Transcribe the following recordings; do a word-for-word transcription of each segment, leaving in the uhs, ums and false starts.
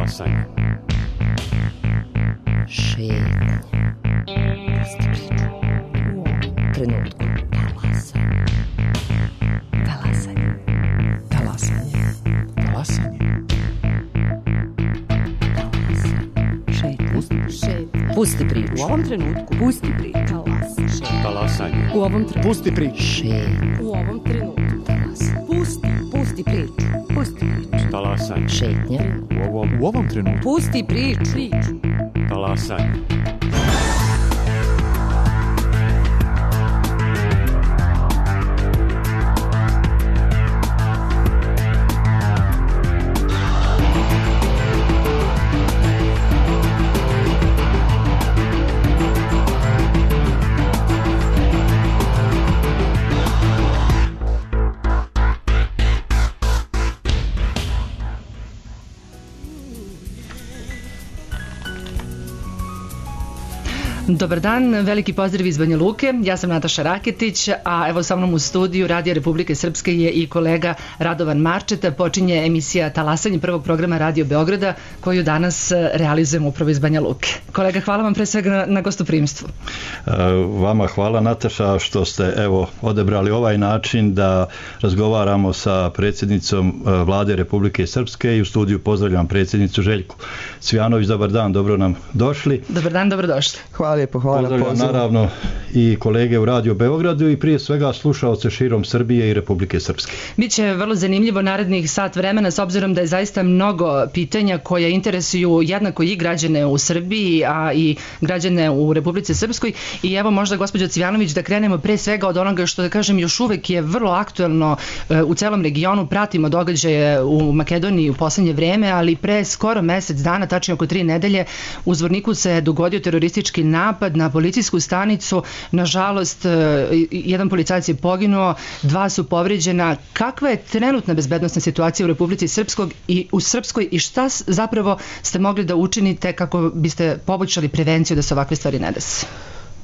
Talasanje. Šetnje. Pusti priču. U ovom trenutku. Talasanje. Talasanje. Talasanje. Talasanje. Šetnje. Pusti priču. U ovom trenutku. Pusti priču. Talasanje. Talasanje. U ovom trenutku. Pusti priču. Šetnje. U ovom trenutku. Talasanje. Pusti. Pusti priču. Pusti priču. Talasanje. Šetnje. U ovom, U ovom trenutku. Pusti priču. Priču. talasanje. Dobar dan, veliki pozdrav iz Banja Luke. Ja sam Nataša Raketić, a evo sa mnom u studiju Radija Republike Srpske je i kolega Radovan Marčeta. Počinje emisija Talasanje prvog programa Radio Beograda, koju danas realizujemo upravo iz Banja Luke. Kolega, hvala vam pre svega na, na gostoprimstvu. Vama hvala, Nataša, što ste evo odebrali ovaj način da razgovaramo sa predsjednicom Vlade Republike Srpske i u studiju pozdravljam predsjednicu Željku Cvijanović. Dobar dan, dobro nam došli. Dobar dan, dobrodošli. Hvala lijepo, hvala na pozivu. Naravno i kolege u Radio Beogradu i prije svega slušaoce širom Srbije i Republike Srpske. Biće vrlo zanimljivo narednih sat vremena s obzirom da je zaista mnogo pitanja koja interesuju jednako i građane u Srbiji, a i građane u Republici Srpskoj. I evo možda gospođo Cvijanović da krenemo pre svega od onoga što da kažem još uvek je vrlo aktuelno u celom regionu. Pratimo događaje u Makedoniji u poslednje vreme, ali pre skoro mesec dana, tačnije oko tri nedelje, u Zvorniku se dogodio teroristički napad na policijsku stanicu. Nažalost, jedan policajac je poginuo, dva su povređena. Kakva je trenutna bezbednosna situacija u Republici Srpskog i u Srpskoj i šta zapravo ste mogli da učinite kako biste poboljšali prevenciju da se ovakve stvari ne dese?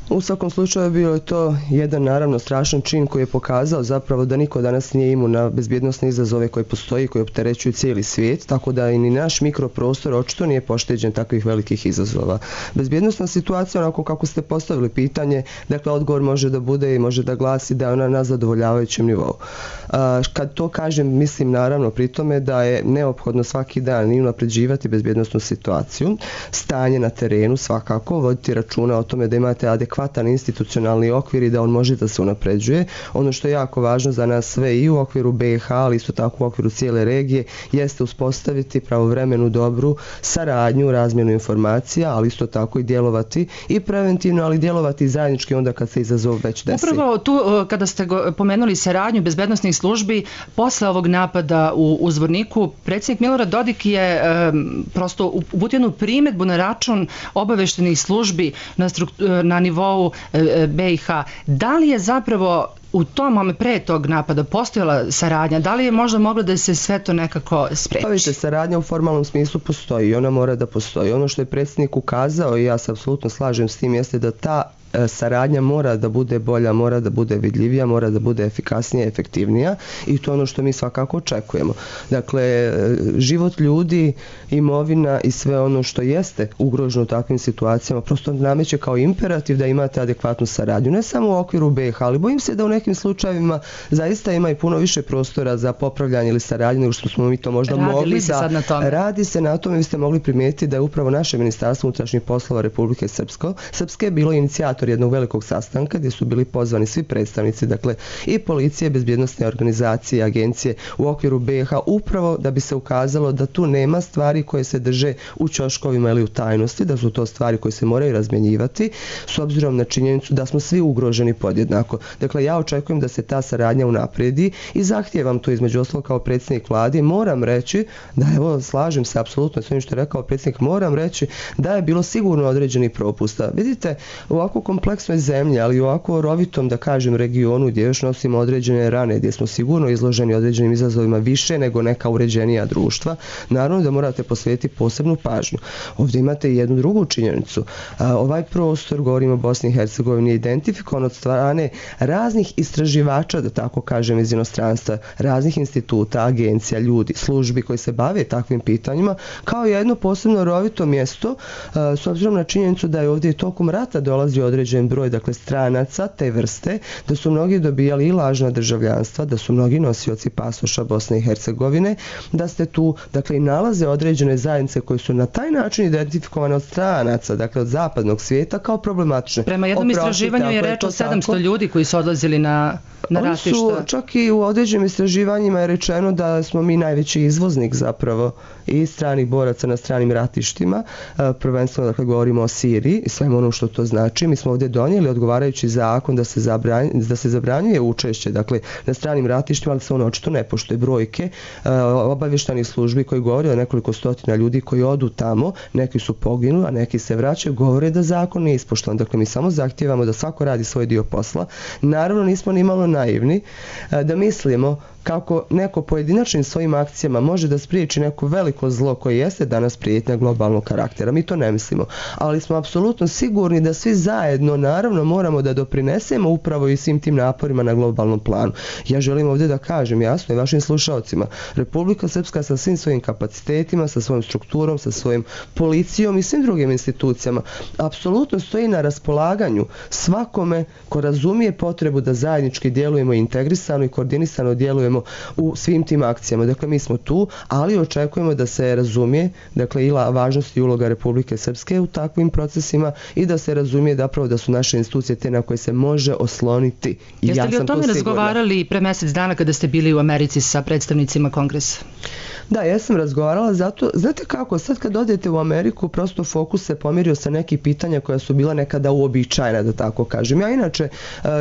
U svakom slučaju bio je to jedan naravno strašan čin koji je pokazao zapravo da niko danas nije imun na bezbjednosne izazove koje postoji i koje opterećuju cijeli svijet, tako da i ni naš mikroprostor očito nije pošteđen takvih velikih izazova. Bezbjednosna situacija, onako kako ste postavili pitanje, dakle odgovor može da bude i može da glasi da je ona na zadovoljavajućem nivou. A, kad to kažem, mislim naravno pri tome da je neophodno svaki dan i unapređivati bezbjednosnu situaciju, stanje na terenu svakako, voditi računa o tome da imate adekvatno adekvatan institucionalni okvir i da on može da se unapređuje. Ono što je jako važno za nas sve i u okviru B i H, ali isto tako u okviru cijele regije, jeste uspostaviti pravovremenu dobru saradnju, razmjenu informacija, ali isto tako i djelovati i preventivno, ali djelovati zajednički onda kad se izazov već desi. Upravo tu, kada ste pomenuli saradnju bezbednosnih službi, posle ovog napada u, u Zvorniku, predsjednik Milorad Dodik je um, prosto uputio jednu primedbu na račun obaveštenih službi na, na nivou B i H. Da li je zapravo u tom momentu pre tog napada postojala saradnja? Da li je možda moglo da se sve to nekako spreči? Pa vidite, saradnja u formalnom smislu postoji i ona mora da postoji. Ono što je predsjednik ukazao i ja se apsolutno slažem s tim jeste da ta saradnja mora da bude bolja, mora da bude vidljivija, mora da bude efikasnija, efektivnija i to je ono što mi svakako očekujemo. Dakle, život ljudi, imovina i sve ono što jeste ugroženo u takvim situacijama prosto nameće kao imperativ da imate adekvatnu saradnju. Ne samo u okviru B i H, ali bojim se da u nekim slučajevima zaista ima i puno više prostora za popravljanje ili saradnju nego što smo mi to možda Radili mogli se sad na tome. Radi se na tome, vi ste mogli primijetiti da je upravo naše Ministarstvo unutrašnjih poslova Republike Srpsko, Srpske bilo inicijator jednog velikog sastanka gdje su bili pozvani svi predstavnici, dakle i policije, bezbjednosne organizacije, agencije u okviru B i H, upravo da bi se ukazalo da tu nema stvari koje se drže u ćoškovima ili u tajnosti, da su to stvari koje se moraju razmjenjivati s obzirom na činjenicu da smo svi ugroženi podjednako. Dakle, ja očekujem da se ta saradnja unaprijedi i zahtijevam to između ostalog kao predsjednik vlade. Moram reći da, evo, slažem se apsolutno s onim što je rekao predsjednik, moram reći da je bilo sigurno određeni propusta. Vidite, ovako kompleksnoj zemlji, ali u ovako rovitom, da kažem, regionu gdje još nosimo određene rane, gdje smo sigurno izloženi određenim izazovima više nego neka uređenija društva, naravno da morate posvetiti posebnu pažnju. Ovdje imate i jednu drugu činjenicu. Ovaj prostor, govorimo o Bosni i Hercegovini, je identifikovan od strane raznih istraživača, da tako kažem, iz inostranstva, raznih instituta, agencija, ljudi, službi koji se bave takvim pitanjima, kao jedno posebno rovito mjesto, s obzirom na činjenicu da je ovdje tokom rata dolazio određen broj, dakle, stranaca te vrste, da su mnogi dobijali i lažna državljanstva, da su mnogi nosioci pasoša Bosne i Hercegovine, da ste tu, dakle, i nalaze određene zajednice koje su na taj način identifikovane od stranaca, dakle, od zapadnog svijeta kao problematične. Prema jednom Oprosti, istraživanju je reč o sedamsto tako ljudi koji su odlazili na, na Oni ratišta. Su, čak i u određenim istraživanjima je rečeno da smo mi najveći izvoznik zapravo i stranih boraca na stranim ratištima, prvenstveno, dakle, govorimo o Siriji i svemu ono što to znači. Mi smo ovdje donijeli odgovarajući zakon da se, zabranj, da se zabranjuje učešće, dakle, na stranim ratištima, ali se ono očito ne poštuje. Brojke obavještajnih službi koji govore o nekoliko stotina ljudi koji odu tamo, neki su poginuli, a neki se vraćaju, govore da zakon nije ispoštovan. Dakle, mi samo zahtijevamo da svako radi svoj dio posla. Naravno, nismo ni malo naivni da mislimo kako neko pojedinačnim svojim akcijama može da spriječi neko veliko zlo koje jeste danas prijetnja globalnog karaktera. Mi to ne mislimo, ali smo apsolutno sigurni da svi zajedno, naravno, moramo da doprinesemo upravo i svim tim naporima na globalnom planu. Ja želim ovdje da kažem jasno i vašim slušalcima, Republika Srpska sa svim svojim kapacitetima, sa svojom strukturom, sa svojim policijom i svim drugim institucijama apsolutno stoji na raspolaganju svakome ko razumije potrebu da zajednički djelujemo integrisano i koordinisano djelujemo u svim tim akcijama. Dakle, mi smo tu, ali očekujemo da se razumije, dakle, i važnost i uloga Republike Srpske u takvim procesima i da se razumije zapravo da su naše institucije te na koje se može osloniti. I Jeste ja li o tome razgovarali pre mjesec dana kada ste bili u Americi sa predstavnicima Kongresa? Da, ja sam razgovarala zato, znate kako, sad kad odete u Ameriku, prosto fokus se pomirio sa nekih pitanja koja su bila nekada uobičajena, da tako kažem. Ja inače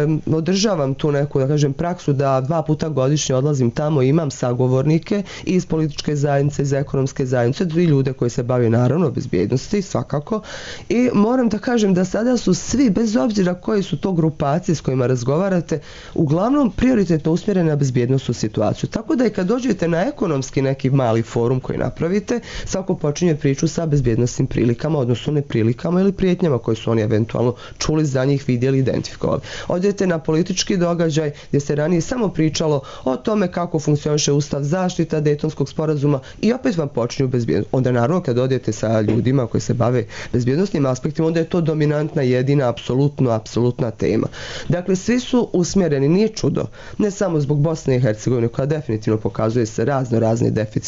um, održavam tu neku, da kažem, praksu da dva puta godišnje odlazim tamo, imam sagovornike iz političke zajednice, iz ekonomske zajednice, i ljude koji se bave naravno bezbjednosti, svakako. I moram da kažem da sada su svi, bez obzira koje su to grupacije s kojima razgovarate, uglavnom prioritetno usmjerene na bezbjednostnu situaciju. Tako da i kad dođete na ekonomski neki mali forum koji napravite, svako počinje priču sa bezbjednostnim prilikama, odnosno neprilikama ili prijetnjama koje su oni eventualno čuli za njih, vidjeli, identifikovali. Odete na politički događaj gdje se ranije samo pričalo o tome kako funkcioniše ustav, zaštita Dejtonskog sporazuma i opet vam počinju bezbjednost. Onda naravno kad odete sa ljudima koji se bave bezbjednostnim aspektima, onda je to dominantna, jedina, apsolutno, apsolutna tema. Dakle, svi su usmjereni, nije čudo, ne samo zbog Bosne i Hercegovine koja definitivno pokazuje se razno razne deficite,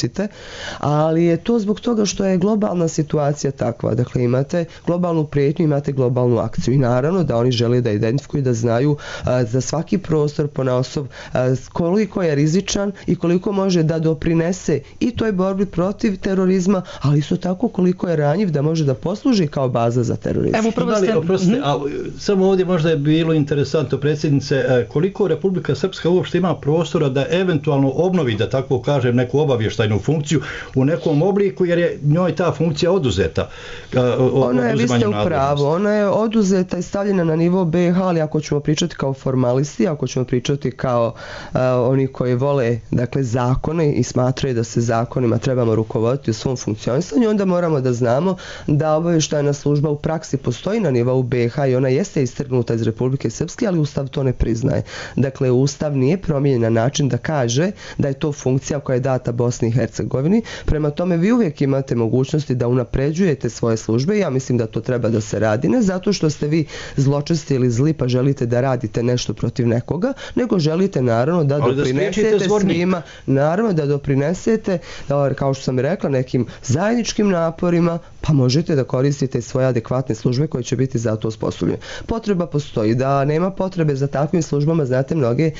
ali je to zbog toga što je globalna situacija takva. Dakle, imate globalnu prijetnju, imate globalnu akciju i naravno da oni žele da identifikuju, da znaju a, za svaki prostor ponaosob a, koliko je rizičan i koliko može da doprinese i toj borbi protiv terorizma, ali isto tako koliko je ranjiv da može da posluži kao baza za terorizam. Evo, prvo ste... Oprostite, a samo ovdje možda je bilo interesantno, predsjednice, koliko Republika Srpska uopšte ima prostora da eventualno obnovi, da tako kažem, neku obavještajnu funkciju u nekom obliku, jer je njoj ta funkcija oduzeta. Ona je, vi ste u pravu, ona je oduzeta i stavljena na nivo B iH, ali ako ćemo pričati kao formalisti, ako ćemo pričati kao uh, oni koji vole, dakle, zakone i smatraju da se zakonima trebamo rukovoditi u svom funkcionisanju, onda moramo da znamo da obavještajna služba u praksi postoji na nivou B iH i ona jeste istrgnuta iz Republike Srpske, ali Ustav to ne priznaje. Dakle, Ustav nije promijenjen na način da kaže da je to funkcija koja je data Bosni i Hercegovini. Prema tome, vi uvijek imate mogućnosti da unapređujete svoje službe. Ja mislim da to treba da se radi, ne zato što ste vi zločesti ili zli pa želite da radite nešto protiv nekoga, nego želite naravno da ali doprinesete da svima, naravno da doprinesete, da, kao što sam rekla, nekim zajedničkim naporima, pa možete da koristite svoje adekvatne službe koje će biti za to osposobljene. Potreba postoji, da nema potrebe za takvim službama, znate, mnoge e,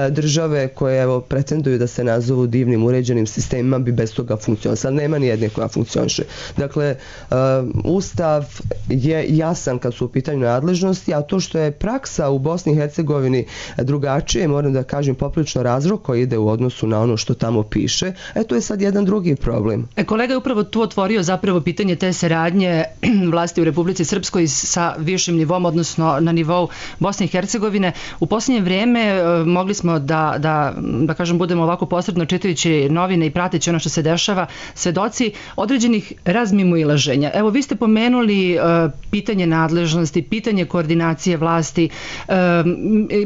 države koje evo pretenduju da se nazovu divnim uređenim sistemima sistema bi bez toga funkcionisala. Nema ni jedne koja funkcioniše. Dakle, uh, Ustav je jasan kad su u pitanju nadležnosti, a to što je praksa u Bosni i Hercegovini drugačije, moram da kažem poprilično razrok koji ide u odnosu na ono što tamo piše, e to je sad jedan drugi problem. E, kolega je upravo tu otvorio zapravo pitanje te saradnje vlasti u Republici Srpskoj sa višim nivom, odnosno na nivou Bosne i Hercegovine. U posljednje vrijeme e, mogli smo da, da, da kažem, budemo ovako posredno čitajući novine i prateći ono što se dešava, svedoci određenih razmimoilaženja. Evo, vi ste pomenuli e, pitanje nadležnosti, pitanje koordinacije vlasti. E,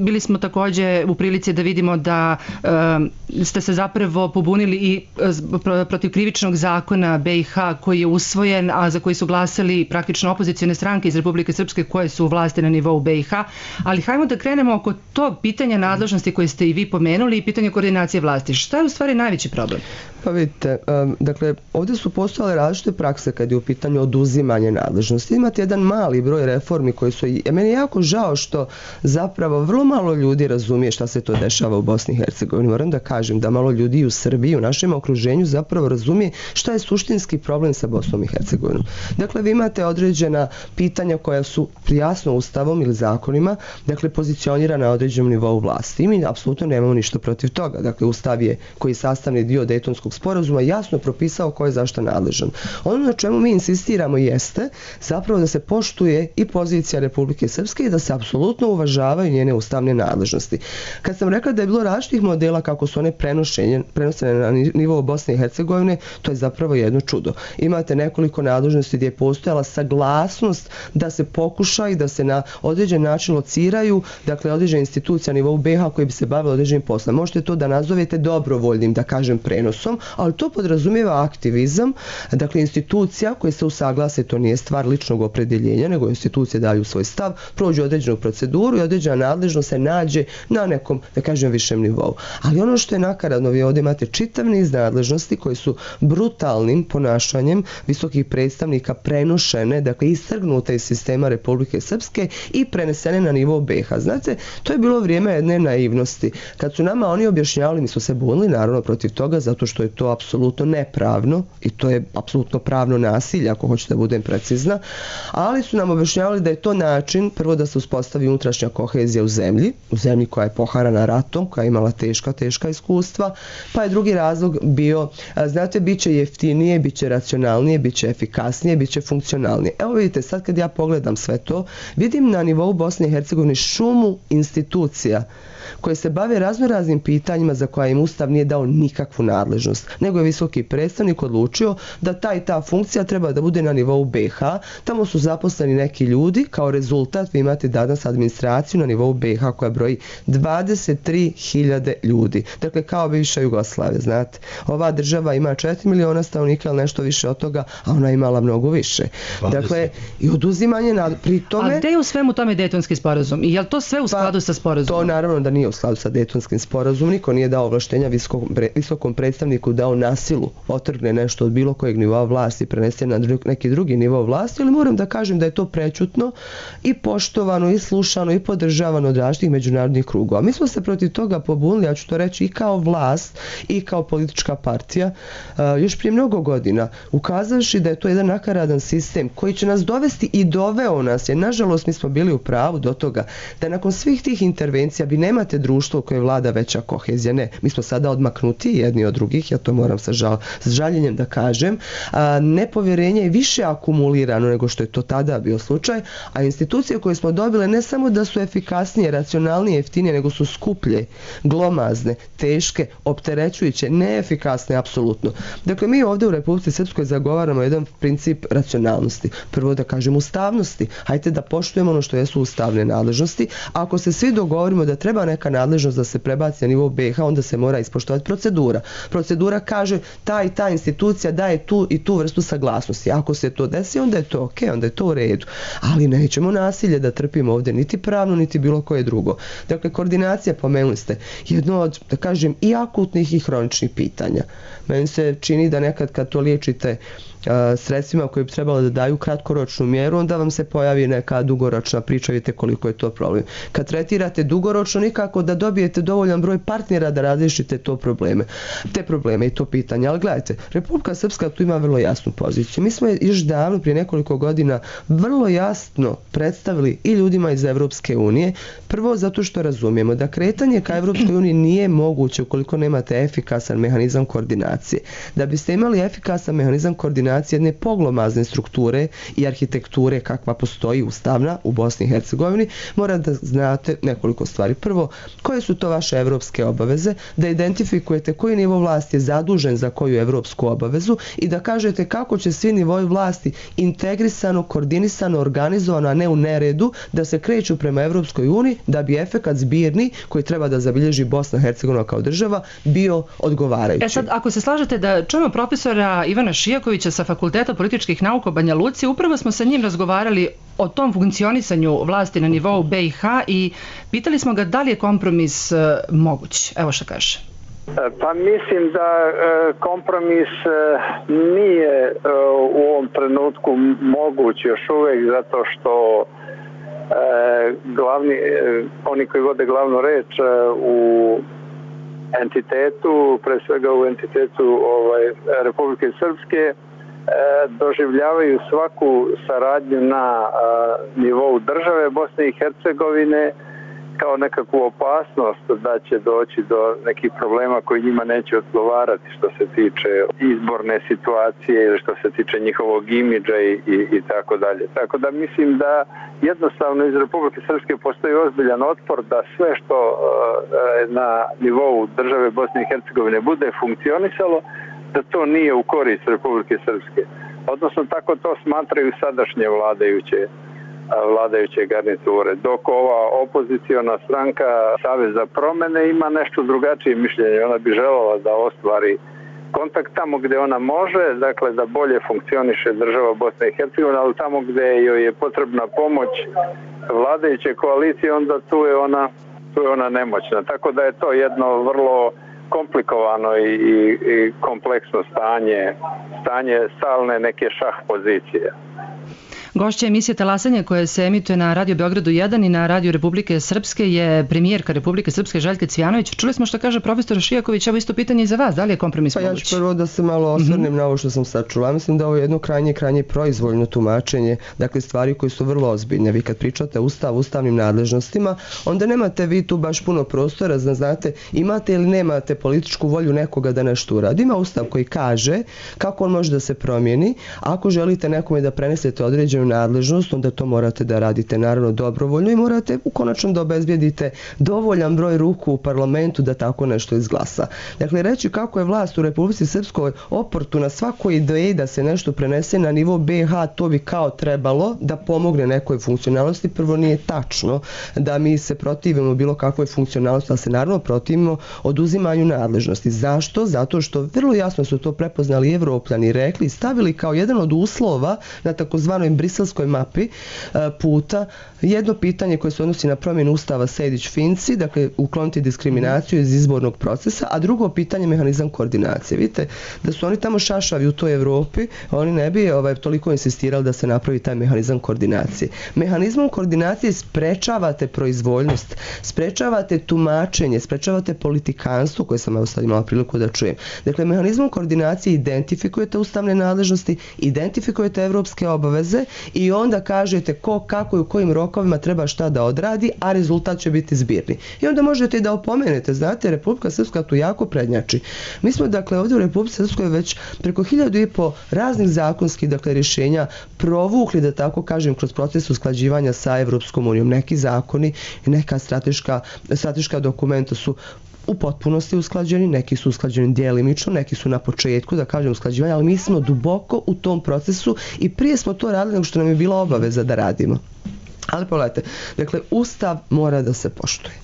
bili smo također u prilici da vidimo da e, ste se zapravo pobunili i e, protiv krivičnog zakona B i H koji je usvojen, a za koji su glasali praktično opozicijne stranke iz Republike Srpske koje su u vlasti na nivou B i H. Ali hajmo da krenemo oko tog pitanja nadležnosti koje ste i vi pomenuli i pitanje koordinacije vlasti. Šta je u stvari najveći problem? Pa vidite, um, dakle, ovdje su postojale različite prakse kad je u pitanju oduzimanje nadležnosti. Imate jedan mali broj reformi koji su, i meni je jako žao što zapravo vrlo malo ljudi razumije šta se to dešava u Bosni i Hercegovini. Moram da kažem da malo ljudi u Srbiji, u našem okruženju zapravo razumije šta je suštinski problem sa Bosnom i Hercegovinom. Dakle, vi imate određena pitanja koja su jasno ustavom ili zakonima, dakle, pozicionirana na određenom nivou vlasti. I mi apsolutno nemamo ništa protiv toga. Dakle, ustav je koji je sastavni dio Dejtonskog sporazuma jasno propisao ko je zašto nadležan. Ono na čemu mi insistiramo jeste zapravo da se poštuje i pozicija Republike Srpske i da se apsolutno uvažavaju njene ustavne nadležnosti. Kad sam rekla da je bilo različitih modela kako su one prenosene na nivou Bosne i Hercegovine, to je zapravo jedno čudo. Imate nekoliko nadležnosti gdje je postojala saglasnost da se pokuša i da se na određen način lociraju, dakle, određene institucije na nivou B i H koji bi se bavili određenim poslom. Možete to da nazovete dobrovoljnim, da kažem, prenosom, ali to podrazumijeva aktivizam, dakle, institucija koje se usaglase, to nije stvar ličnog opredeljenja, nego institucije daju svoj stav, prođu određenu proceduru i određena nadležnost se nađe na nekom, da kažem, višem nivou. Ali ono što je nakaradno, vi ovdje imate čitav niz nadležnosti koji su brutalnim ponašanjem visokih predstavnika prenošene, dakle, istrgnute iz sistema Republike Srpske i prenesene na nivou B i H. Znate, to je bilo vrijeme jedne naivnosti. Kad su nama oni objašnjavali, mi smo se bunili naravno protiv toga, zato što je to apsolutno nepravno i to je apsolutno pravno nasilje, ako hoćete da budem precizna, ali su nam objašnjavali da je to način, prvo da se uspostavi unutrašnja kohezija u zemlji, u zemlji koja je poharana ratom, koja je imala teška, teška iskustva, pa je drugi razlog bio, znate, bit će jeftinije, bit će racionalnije, bit će efikasnije, bit će funkcionalnije. Evo vidite, sad kad ja pogledam sve to, vidim na nivou Bosne i Hercegovine šumu institucija koje se bave raznoraznim pitanjima za koja im Ustav nije dao nikakvu nadležnost, nego je visoki predstavnik odlučio da ta i ta funkcija treba da bude na nivou B i H. Tamo su zaposleni neki ljudi, kao rezultat vi imate danas administraciju na nivou B i H koja broji dvadeset tri hiljade ljudi. Dakle, kao bivša Jugoslavija, znate. Ova država ima četiri miliona stanovnika ili nešto više od toga, a ona je imala mnogo više. Dakle, i oduzimanje nad... pri tome... A gde je u svemu tome Dejtonski sporazum? I je li to sve u skladu pa, sa sporazumom? To naravno da nije u skladu sa Dejtonskim sporazumom. Niko nije dao ovlaštenja visokom, visokom predstavniku dao nasilu otrgne nešto od bilo kojeg nivoa vlasti i prenese na dru, neki drugi nivo vlasti, ali moram da kažem da je to prečutno i poštovano i slušano i podržavano od različitih međunarodnih krugova. Mi smo se protiv toga pobunili, ja ću to reći, i kao vlast i kao politička partija uh, još prije mnogo godina, ukazavši da je to jedan nakaradan sistem koji će nas dovesti i doveo nas, jer nažalost mi smo bili u pravu do toga da nakon svih tih intervencija vi nemate društvo u koje vlada veća kohezija. Ne, mi smo sada odmaknuti jedni od drugih, ja to moram sa, žal, sa žaljenjem da kažem. A, nepovjerenje je više akumulirano nego što je to tada bio slučaj, a institucije koje smo dobile ne samo da su efikasnije, racionalnije, jeftinije, nego su skuplje, glomazne, teške, opterećujuće, neefikasne, apsolutno. Dakle, mi ovdje u Republici Srpskoj zagovaramo jedan princip racionalnosti. Prvo da kažem ustavnosti. Hajde da poštujemo ono što jesu ustavne nadležnosti. Ako se svi dogovorimo da treba neka nadležnost da se prebaci na nivou B i H, onda se mora ispoštovati procedura. Procedura kaže ta i ta institucija daje tu i tu vrstu saglasnosti. Ako se to desi, onda je to ok, onda je to u redu. Ali nećemo nasilje da trpimo ovdje, niti pravno, niti bilo koje drugo. Dakle, koordinacija, pomenuli ste, jedno od, da kažem, i akutnih i hroničnih pitanja. Meni se čini da nekad kad to liječite a, sredstvima koje bi trebalo da daju kratkoročnu mjeru, onda vam se pojavi neka dugoročna priča, vidite koliko je to problem. Kad tretirate dugoročno, nikako da dobijete dovoljan broj partnera da razriješite to probleme, te probleme i to pitanje. Ali gledajte, Republika Srpska tu ima vrlo jasnu poziciju. Mi smo još davno, prije nekoliko godina, vrlo jasno predstavili i ljudima iz Evropske unije, prvo zato što razumijemo da kretanje ka Evropskoj uniji nije moguće ukoliko nemate efikasan mehanizam koordinacije. Da biste imali efikasan mehanizam koordinacije jedne poglomazne strukture i arhitekture kakva postoji ustavna u Bosni i Hercegovini, mora da znate nekoliko stvari. Prvo, koje su to vaše evropske obaveze, da identifikujete koji nivo vlasti je zadužen za koju evropsku obavezu i da kažete kako će svi nivoi vlasti integrisano, koordinisano, organizovano, a ne u neredu, da se kreću prema Evropskoj uniji da bi efekat zbirni koji treba da zabilježi Bosna i Hercegovina kao država bio odgovarajući. E sad, ako se slažete da čujemo profesora Ivana Šijakovića sa Fakulteta političkih nauka u Banja Luci, upravo smo sa njim razgovarali o tom funkcionisanju vlasti na nivou B i H i pitali smo ga da li je kompromis uh, moguć. Evo što kaže. Pa mislim da kompromis nije u ovom trenutku moguć još uvijek, zato što glavni, oni koji vode glavnu reč u entitetu, pre svega u entitetu ovaj, Republike Srpske, doživljavaju svaku saradnju na nivou države Bosne i Hercegovine kao nekakvu opasnost da će doći do nekih problema koji njima neće odgovarati što se tiče izborne situacije ili što se tiče njihovog imidža i, i, i tako dalje. Tako da mislim da jednostavno iz Republike Srpske postoji ozbiljan otpor da sve što uh, na nivou države Bosne i Hercegovine bude funkcionisalo, da to nije u korist Republike Srpske. Odnosno tako to smatraju sadašnje vladajuće vladajuće garniture, dok ova opoziciona stranka Savez za promene ima nešto drugačije mišljenje. Ona bi željela da ostvari kontakt tamo gdje ona može, dakle da bolje funkcioniše država Bosne i Hercegovine, ali tamo gdje joj je potrebna pomoć vladajuće koalicije, onda tu je ona, tu je ona nemoćna. Tako da je to jedno vrlo komplikovano i, i, i kompleksno stanje, stanje stalne neke šah pozicije. Gošća emisije Talasanje koje se emituje na Radio Beogradu jedan i na Radio Republike Srpske je premijerka Republike Srpske Željka Cvijanović. Čuli smo što kaže profesor Šijaković, evo isto pitanje i za vas, da li je kompromis moguć? Pa ja ću prvo da se malo osvrnem mm-hmm. na ovo što sam sad čula. Mislim da ovo je jedno krajnje, krajnje proizvoljno tumačenje, dakle stvari koje su vrlo ozbiljne. Vi kad pričate ustav, ustavnim nadležnostima, onda nemate vi tu baš puno prostora, da znate imate ili nemate političku volju nekoga da nešto uradi. Ima ustav koji kaže kako on može da se promijeni. Ako želite nekome da prenesete određenu nadležnost, onda to morate da radite naravno dobrovoljno i morate u konačnom da obezbijedite dovoljan broj ruku u parlamentu da tako nešto izglasa. Dakle, reći kako je vlast u Republici Srpskoj oportuna svakoj ideji da se nešto prenese na nivo B i H, to bi kao trebalo da pomogne nekoj funkcionalnosti. Prvo nije tačno da mi se protivimo bilo kakvoj funkcionalnosti, ali se naravno protivimo oduzimanju nadležnosti. Zašto? Zato što vrlo jasno su to prepoznali Evropljani i rekli, stavili kao jedan od uslova na takozvanoj briselskoj mapi puta jedno pitanje koje se odnosi na promjenu ustava Sejdić-Finci, dakle ukloniti diskriminaciju iz izbornog procesa, a drugo pitanje mehanizam koordinacije. Vidite da su oni tamo šašavi u toj Evropi, oni ne bi ovaj, toliko insistirali da se napravi taj mehanizam koordinacije. Mehanizmom koordinacije sprečavate proizvoljnost, sprečavate tumačenje, sprečavate politikanstvo koje sam evo sad imala priliku da čujem. Dakle, mehanizmom koordinacije identifikujete ustavne nadležnosti, identifikujete evropske obaveze i onda kažete ko, kako i u kojim rokovima treba šta da odradi, a rezultat će biti zbirni. I onda možete i da opomenete, znate, Republika Srpska tu jako prednjači. Mi smo, dakle, ovdje u Republici Srpskoj već preko hiljadu i po raznih zakonskih, dakle, rješenja provukli, da tako kažem, kroz proces usklađivanja sa Evropskom unijom. Neki zakoni i neka strateška, strateška dokumenta su u potpunosti usklađeni, neki su usklađeni djelimično, neki su na početku, da kažem, usklađivanja, ali mi smo duboko u tom procesu i prije smo to radili nego što nam je bila obaveza da radimo. Ali pogledajte, dakle, ustav mora da se poštuje.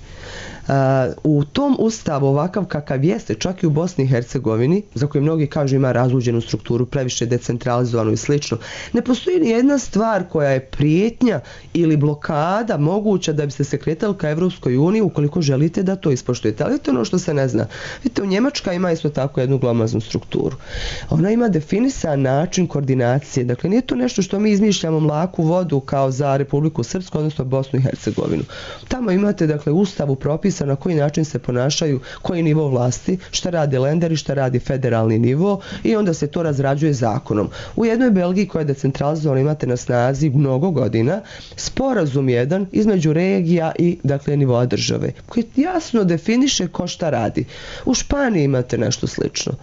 U tom ustavu ovakav kakav jeste, čak i u Bosni i Hercegovini, za koje mnogi kažu ima razluđenu strukturu, previše decentralizovanu i slično, ne postoji ni jedna stvar koja je prijetnja ili blokada moguća da biste se kretali ka Evropskoj uniji ukoliko želite da to ispoštujete. Ali to je ono što se ne zna. Vidite, u Njemačka ima isto tako jednu glomaznu strukturu. Ona ima definisan način koordinacije. Dakle, nije to nešto što mi izmišljamo mlaku vodu kao za Republiku Srpsku, odnosno Bosnu i Hercegovinu. Tamo imate, dakle, ustavu propisano na koji način se ponašaju, koji nivo vlasti, šta radi lender i šta radi federalni nivo i onda se to razrađuje zakonom. U jednoj Belgiji koja je decentralizovana imate na snazi mnogo godina sporazum jedan između regija i, dakle, nivoa države koji jasno definiše ko šta radi. U Španiji imate nešto slično.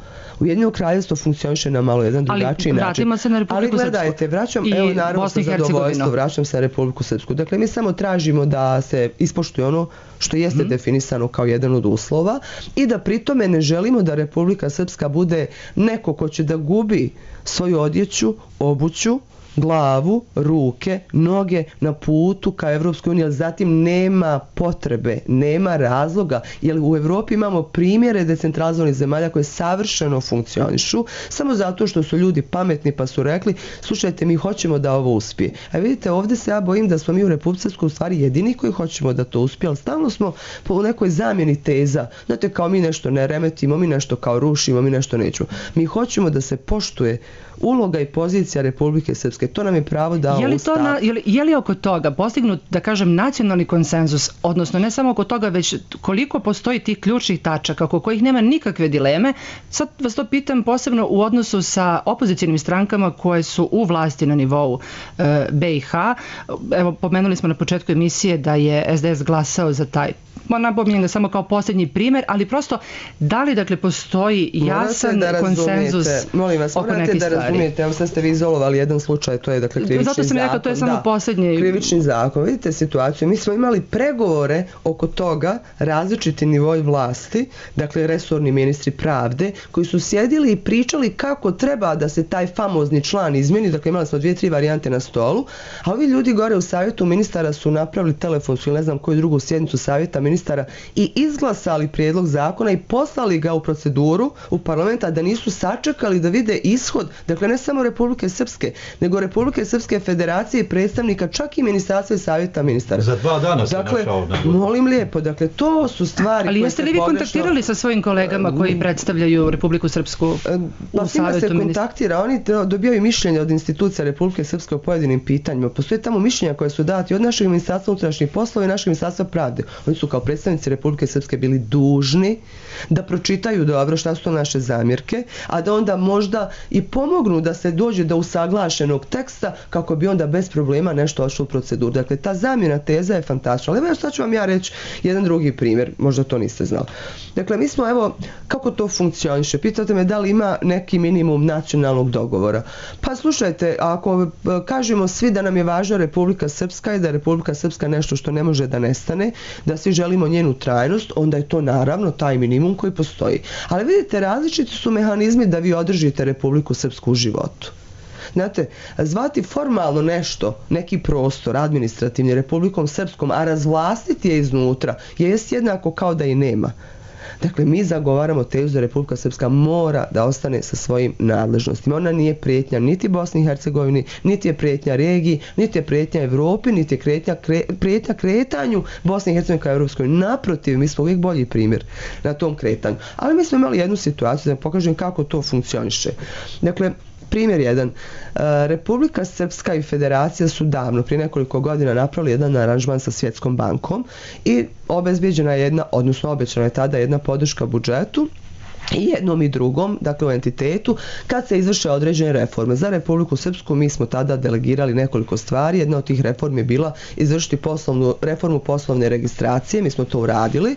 Ujedinjeno kraljevstvo funkcioniše na malo jedan drugačiji način. Ali vratimo se na Republiku Srpsku. Ali gledajte, vraćam, evo naravno sa zadovoljstvo, vraćam se na Republiku Srpsku. Dakle, mi samo tražimo da se ispoštuje ono što jeste mm. definisano kao jedan od uslova i da pritome ne želimo da Republika Srpska bude neko ko će da gubi svoju odjeću, obuću, glavu, ruke, noge na putu ka Evropskoj uniji, ali zatim nema potrebe, nema razloga, jer u Evropi imamo primjere decentralizovanih zemalja koje savršeno funkcionišu, samo zato što su ljudi pametni pa su rekli, slušajte, mi hoćemo da ovo uspije. A vidite, ovdje se ja bojim da smo mi u Republici Srpskoj u stvari jedini koji hoćemo da to uspije, ali stalno smo po nekoj zamjeni teza. Znate, kao mi nešto ne remetimo, mi nešto kao rušimo, mi nešto nećemo. Mi hoćemo da se poštuje uloga i pozicija Republike Srpske. To nam je pravo dao je li Ustav. To na, je, li, je li oko toga postignut, da kažem, nacionalni konsenzus, odnosno ne samo oko toga, već koliko postoji tih ključnih tačaka oko kojih nema nikakve dileme? Sad vas to pitam posebno u odnosu sa opozicijnim strankama koje su u vlasti na nivou e, B i H. Evo, pomenuli smo na početku emisije da je S D S glasao za taj, napominjem ga samo kao posljednji primjer, ali prosto da li, dakle, postoji jasan konsenzus molim vas, oko nekih stvari? Razumijete, evo sad ste vi izolovali jedan slučaj, to je, dakle, krivični zakon. Zato sam rekao, to je samo da, posljednji. Krivični zakon. Vidite situaciju, mi smo imali pregovore oko toga, različiti nivoi vlasti, dakle resorni ministri pravde, koji su sjedili i pričali kako treba da se taj famozni član izmjeni, dakle imali smo dvije, tri varijante na stolu, a ovi ljudi gore u savjetu ministara su napravili telefonsku ili ne znam koju drugu sjednicu savjeta ministara i izglasali prijedlog zakona i poslali ga u proceduru u parlamenta, da nisu sačekali da vide ishod. Dakle, ne samo Republike Srpske, nego Republike Srpske federacije i predstavnika, čak i ministarstva i savjeta ministara. Za dva dana se dakle, našao. Molim lijepo, dakle, to su stvari ali koje jeste li vi pogrešno... kontaktirali sa svojim kolegama koji predstavljaju Republiku Srpsku u pa savjetu se kontaktira, oni dobijaju mišljenja od institucija Republike Srpske o pojedinim pitanjima. Postoje tamo mišljenja koje su dati od našeg ministarstva unutrašnjih poslova i našeg ministarstva pravde. Oni su kao predstavnici Republike Srpske bili dužni da pročitaju dobro šta su to naše zamjerke, a da onda možda i pomognu da se dođe do usaglašenog teksta kako bi onda bez problema nešto ošlo u proceduru. Dakle, ta zamjena teza je fantastična. Ali evo sad ću vam ja reći jedan drugi primjer, možda to niste znali. Dakle, mi smo, evo, kako to funkcioniše? Pitate me da li ima neki minimum nacionalnog dogovora. Pa slušajte, ako kažemo svi da nam je važna Republika Srpska i da je Republika Srpska nešto što ne može da nestane, da svi želimo njenu trajnost, onda je to naravno taj minimum koji postoji. Ali vidite, različiti su mehanizmi da vi održite Republiku Srpsku u životu. Znate, zvati formalno nešto, neki prostor administrativni Republikom Srpskom, a razvlastiti je iznutra, je jednako kao da i nema. Dakle, mi zagovaramo tezu da Republika Srpska mora da ostane sa svojim nadležnostima. Ona nije prijetnja niti Bosni i Hercegovini, niti je prijetnja regiji, niti je prijetnja Evropi, niti je prijetnja, kre, prijetnja kretanju Bosne i Hercegovine kao Evropskoj. Naprotiv, mi smo uvijek bolji primjer na tom kretanju. Ali mi smo imali jednu situaciju da pokažem kako to funkcioniše. Dakle, primjer jedan. Republika Srpska i Federacija su davno, prije nekoliko godina, napravili jedan aranžman sa Svjetskom bankom i obezbijeđena je jedna, odnosno obećana je tada jedna podrška budžetu i jednom i drugom, dakle u entitetu, kad se izvrše određene reforme. Za Republiku Srpsku mi smo tada delegirali nekoliko stvari. Jedna od tih reformi je bila izvršiti poslovnu, reformu poslovne registracije, mi smo to uradili, e,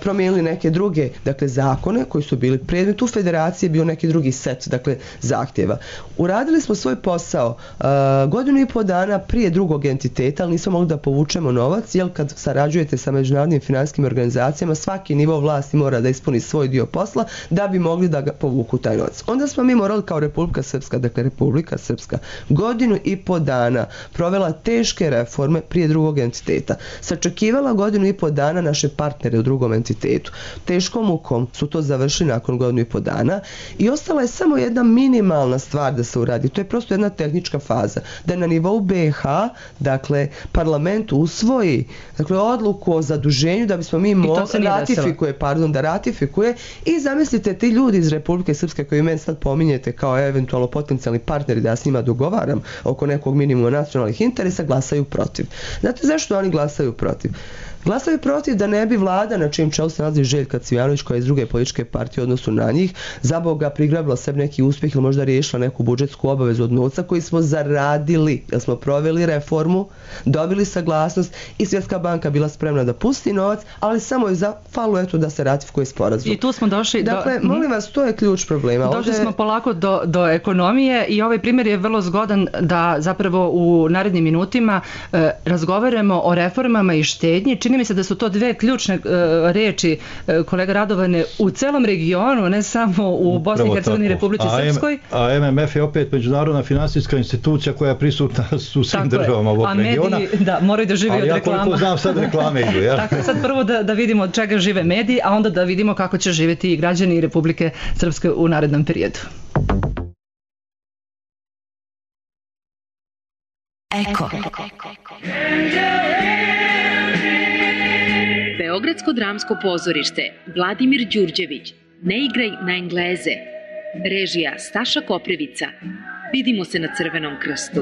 promijenili neke druge, dakle, zakone koji su bili predmet u Federaciji, bio neki drugi set, dakle, zahtjeva. Uradili smo svoj posao e, godinu i po dana prije drugog entiteta, ali nismo mogli da povučemo novac, jer kad sarađujete sa međunarodnim finansijskim organizacijama, svaki nivo vlasti mora da ispuni svoj dio posla, posla da bi mogli da ga povuku taj novac. Onda smo mi morali kao Republika Srpska, dakle Republika Srpska, godinu i po dana provela teške reforme prije drugog entiteta. Sačekivala godinu i po dana naše partnere u drugom entitetu. Teškom mukom su to završili nakon godinu i po dana i ostala je samo jedna minimalna stvar da se uradi. To je prosto jedna tehnička faza. Da na nivou B i H, dakle, parlament usvoji dakle, odluku o zaduženju da bismo mi mogli ratifikuje, pardon, da ratifikuje i zamislite ti ljudi iz Republike Srpske koji meni sad pominjete kao eventualno potencijalni partneri da ja s njima dogovaram oko nekog minimuma nacionalnih interesa, glasaju protiv. Znate zašto oni glasaju protiv? Glasaju protiv da ne bi vlada na čijem čelu se nalazi Željka Cvijanović koja je iz druge političke partije u odnosu na njih za Boga prigrabila sebi neki uspjeh ili možda riješila neku budžetsku obavezu od novca koji smo zaradili, jer smo proveli reformu, dobili saglasnost i Svjetska banka bila spremna da pusti novac, ali samo je zafalo eto da se ratifikuje sporazum. I tu smo došli dakle, do... molim vas, to je ključ problema. Došli Ovdje... smo polako do, do ekonomije i ovaj primjer je vrlo zgodan da zapravo u narednim minutima e, razgovaramo o reformama i štednji. Čini mi se da su to dve ključne uh, reči uh, kolega Radovane u celom regionu, ne samo u Bosni i Hercegovini i Republici Srpskoj. A M M F je opet međunarodna finansijska institucija koja je prisutna u svim tako državama ovog regiona. A mediji, da, moraju da žive od reklama. Ali ja koliko znam sad reklame idu. Ja? Tako, sad prvo da, da vidimo od čega žive mediji, a onda da vidimo kako će živjeti i građani Republike Srpske u narednom periodu. Eko. Beogradsko dramsko pozorište Vladimir Đurđević, Ne igraj na Engleze. Režija Staša Koprivica. Vidimo se na Crvenom krstu.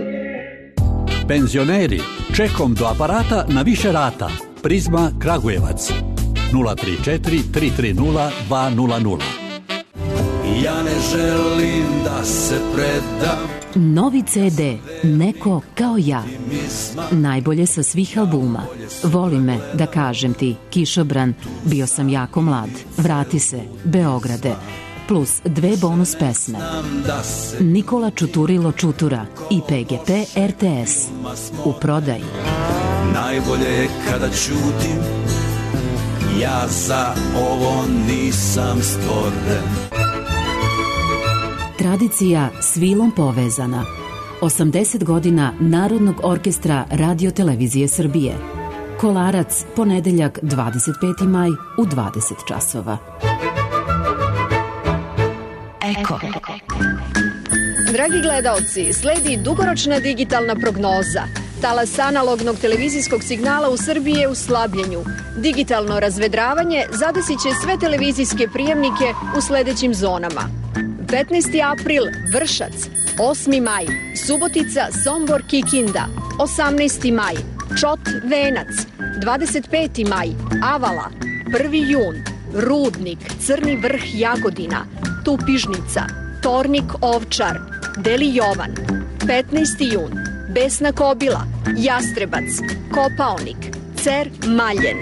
Penzioneri, čekom do aparata na više rata. Prizma Kragujevac. nula tri četiri tri tri nula dva nula nula. Ja ne želim da se predam. Novi ce de, Neko kao ja. Najbolje sa svih albuma. Voli me, da kažem ti, Kišobran, Bio sam jako mlad, Vrati se, Beograde, plus dve bonus pesme. Nikola Čuturilo Čutura i P G P R T S. U prodaji. Najbolje je kada ćutim, ja za ovo nisam stvoren. Tradicija s vilom povezana. osamdeset godina Narodnog orkestra Radio Televizije Srbije. Kolarac, ponedeljak dvadeset peti maj u dvadeset časova. Eko. Dragi gledaoci, sledi dugoročna digitalna prognoza. Talas analognog televizijskog signala u Srbiji je u slabljenju. Digitalno razvedravanje zadesit će sve televizijske prijemnike u sledećim zonama. petnaesti april Vršac, osmi maj Subotica, Sombor, Kikinda, osamnaesti maj Čot, Venac, dvadeset peti maj Avala, prvi jun Rudnik, Crni vrh, Jagodina, Tupižnica, Tornik, Ovčar, Deli Jovan, petnaesti jun Besna Kobila, Jastrebac, Kopaonik, Cer, Maljen.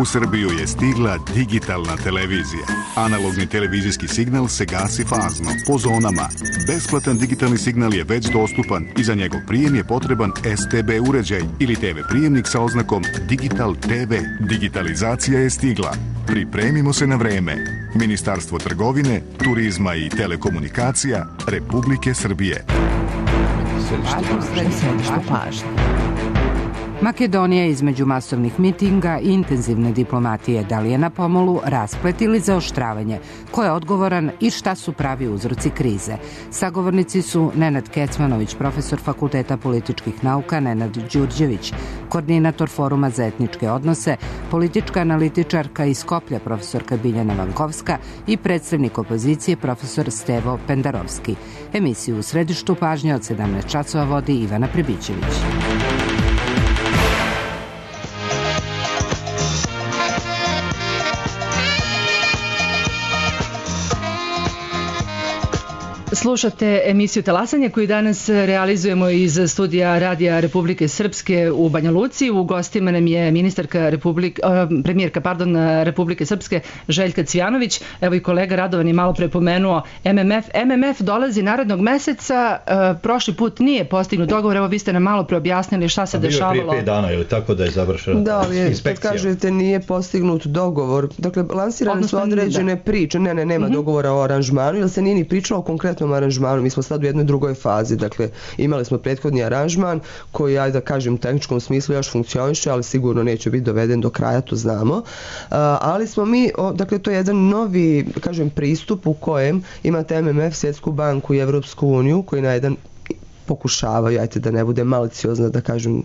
U Srbiju je stigla digitalna televizija. Analogni televizijski signal se gasi fazno, po zonama. Besplatan digitalni signal je već dostupan i za njegov prijem je potreban S T B uređaj ili T V prijemnik sa oznakom Digital T V. Digitalizacija je stigla. Pripremimo se na vreme. Ministarstvo trgovine, turizma i telekomunikacija Republike Srbije. Središte pažnje. Makedonija između masovnih mitinga i intenzivne diplomatije, da li je na pomolu rasplet ili zaoštravanje, ko je odgovoran i šta su pravi uzroci krize. Sagovornici su Nenad Kecmanović, profesor Fakulteta političkih nauka, Nenad Đurđević, koordinator Foruma za etničke odnose, politička analitičarka iz Skoplja, profesorka Biljana Vankovska i predstavnik opozicije, profesor Stevo Pendarovski. Emisiju u središtu pažnje od sedamnaest časova vodi Ivana Prebićević. Slušate emisiju Talasanje koju danas realizujemo iz studija Radija Republike Srpske u Banja Luci. U gostima nam je ministarka Republike, premijerka pardon, Republike Srpske Željka Cvijanović. Evo i kolega Radovan je malo prepomenuo M M F. M M F dolazi narednog meseca. Prošli put nije postignut dogovor. Evo vi ste nam malo preobjasnili šta se dešavalo. Bio je prije pet dana ili tako da je završena da, ali inspekcija. Kad kažete nije postignut dogovor, dakle lansirane su određene priče. Ne, ne, nema mm-hmm. dogovora o aranžmanu, jer se nije ni pričalo o konkretnom aranžmanu. Mi smo sad u jednoj drugoj fazi. Dakle, imali smo prethodni aranžman koji, ajde da kažem, u tehničkom smislu još funkcioniše, ali sigurno neće biti doveden do kraja, to znamo. Uh, ali smo mi, o, dakle, to je jedan novi, kažem, pristup u kojem imate M M F, Svjetsku banku i Evropsku uniju, koji na jedan pokušavaju, ajte da ne bude maliciozno da kažem,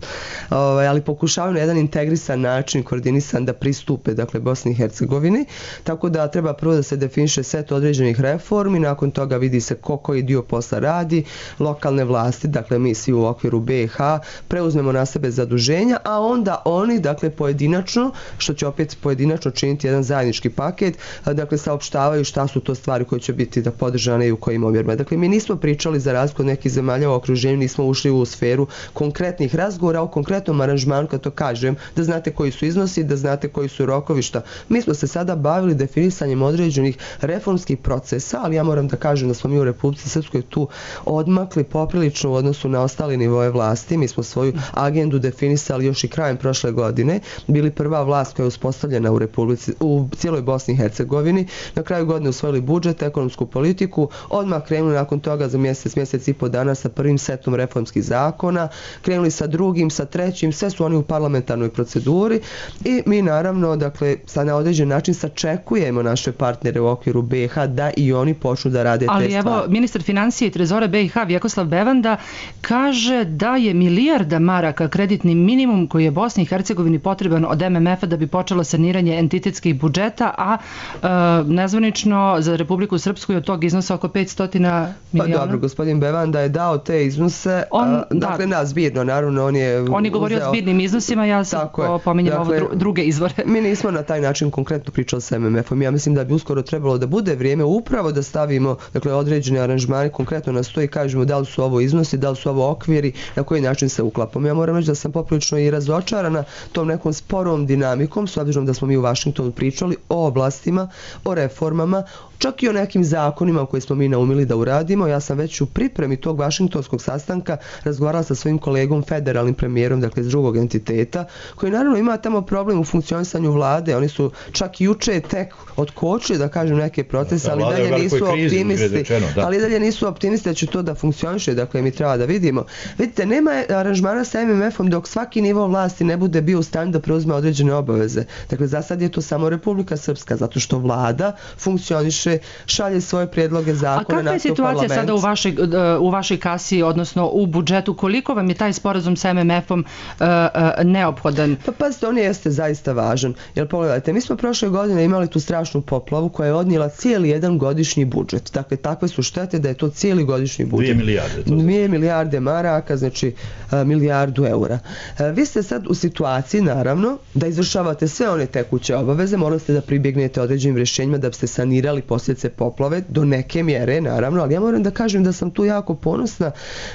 ovaj, ali pokušavaju na jedan integrisan način, koordinisan da pristupe, dakle, Bosni i Hercegovini, tako da treba prvo da se definiše set određenih reformi, nakon toga vidi se ko koji dio posla radi, lokalne vlasti, dakle mi svi u okviru B i H preuzmemo na sebe zaduženja, a onda oni, dakle, pojedinačno, što će opet pojedinačno činiti jedan zajednički paket, dakle, saopštavaju šta su to stvari koje će biti da podržane i u kojim omjerima. Dakle, mi nismo pričali za razliku od nekih zemalja u okruženju, nismo ušli u sferu konkretnih razgovora o konkretnom aranžmanu, kad to kažem, da znate koji su iznosi, da znate koji su rokovi, šta. Mi smo se sada bavili definisanjem određenih reformskih procesa, ali ja moram da kažem da smo mi u Republici Srpskoj tu odmakli poprilično u odnosu na ostale nivoje vlasti. Mi smo svoju agendu definisali još i krajem prošle godine, bili prva vlast koja je uspostavljena u Republici, u cijeloj Bosni i Hercegovini. Na kraju godine usvojili budžet, ekonomsku politiku, odmah krenuli nakon toga za mjesec, mjesec i po dana sa prvim setom reformskih zakona, krenuli sa drugim, sa trećim, sve su oni u parlamentarnoj proceduri i mi naravno, dakle, sad na određen način sačekujemo naše partnere u okviru B i H da i oni počnu da rade ali te stvari. Ali evo, ministar financije i trezora B i H Vjekoslav Bevanda kaže da je milijarda maraka kreditni minimum koji je Bosni i Hercegovini potreban od M M F-a da bi počelo saniranje entitetskih budžeta, a e, nezvanično za Republiku Srpsku je od tog iznosa oko petsto miliona. Pa dobro, gospodin Bevanda je dao te iznose, on, a, dakle, da, na zbirno, naravno, on je On je govorio uzeo... o zbirnim iznosima, ja sam pominjam dakle, ovo druge izvore. Mi nismo na taj način konkretno pričali sa M M F-om. Ja mislim da bi uskoro trebalo da bude vrijeme upravo da stavimo, dakle, određene aranžmane konkretno na sto i kažemo da li su ovo iznosi, da li su ovo okviri, na koji način se uklapamo. Ja moram reći da sam poprilično i razočarana tom nekom sporom dinamikom, s obzirom da smo mi u Vašingtonu pričali o oblastima, o reformama, čak i o nekim zakonima koje smo mi naumili da uradimo. Ja sam već u pripremi tog vašingtonskog sastanka razgovarala sa svojim kolegom, federalnim premijerom, dakle iz drugog entiteta, koji naravno ima tamo problem u funkcionisanju vlade. Oni su čak juče tek otkočili, da kažem, neke procese, ali dalje nisu optimisti. Ali dalje nisu optimisti da će to da funkcioniše, dakle mi treba da vidimo. Vidite, nema aranžmana sa M M F-om dok svaki nivo vlasti ne bude bio u stanju da preuzme određene obaveze. Dakle, za sad je to samo Republika Srpska, zato što vlada funkcioniše, šalje svoje prijedloge zakona. A kakva je situacija sada u vašoj, u vašoj kasi, odnosno u budžetu? Koliko vam je taj sporazum sa M M F-om uh, uh, neophodan? Pa pazite, on jeste zaista važan. Jer pogledajte, mi smo prošle godine imali tu strašnu poplavu koja je odnijela cijeli jedan godišnji budžet. Dakle, takve su štete da je to cijeli godišnji budžet. Dvije milijarde. To Dvije milijarde maraka, znači uh, milijardu eura. Uh, vi ste sad u situaciji, naravno, da izvršavate sve one tekuće obaveze, morali ste da pribjegnete određenim rješenjima da biste sanirali posljedice poplave do neke mjere, naravno, ali ja moram da kažem da sam tu jako ponosna.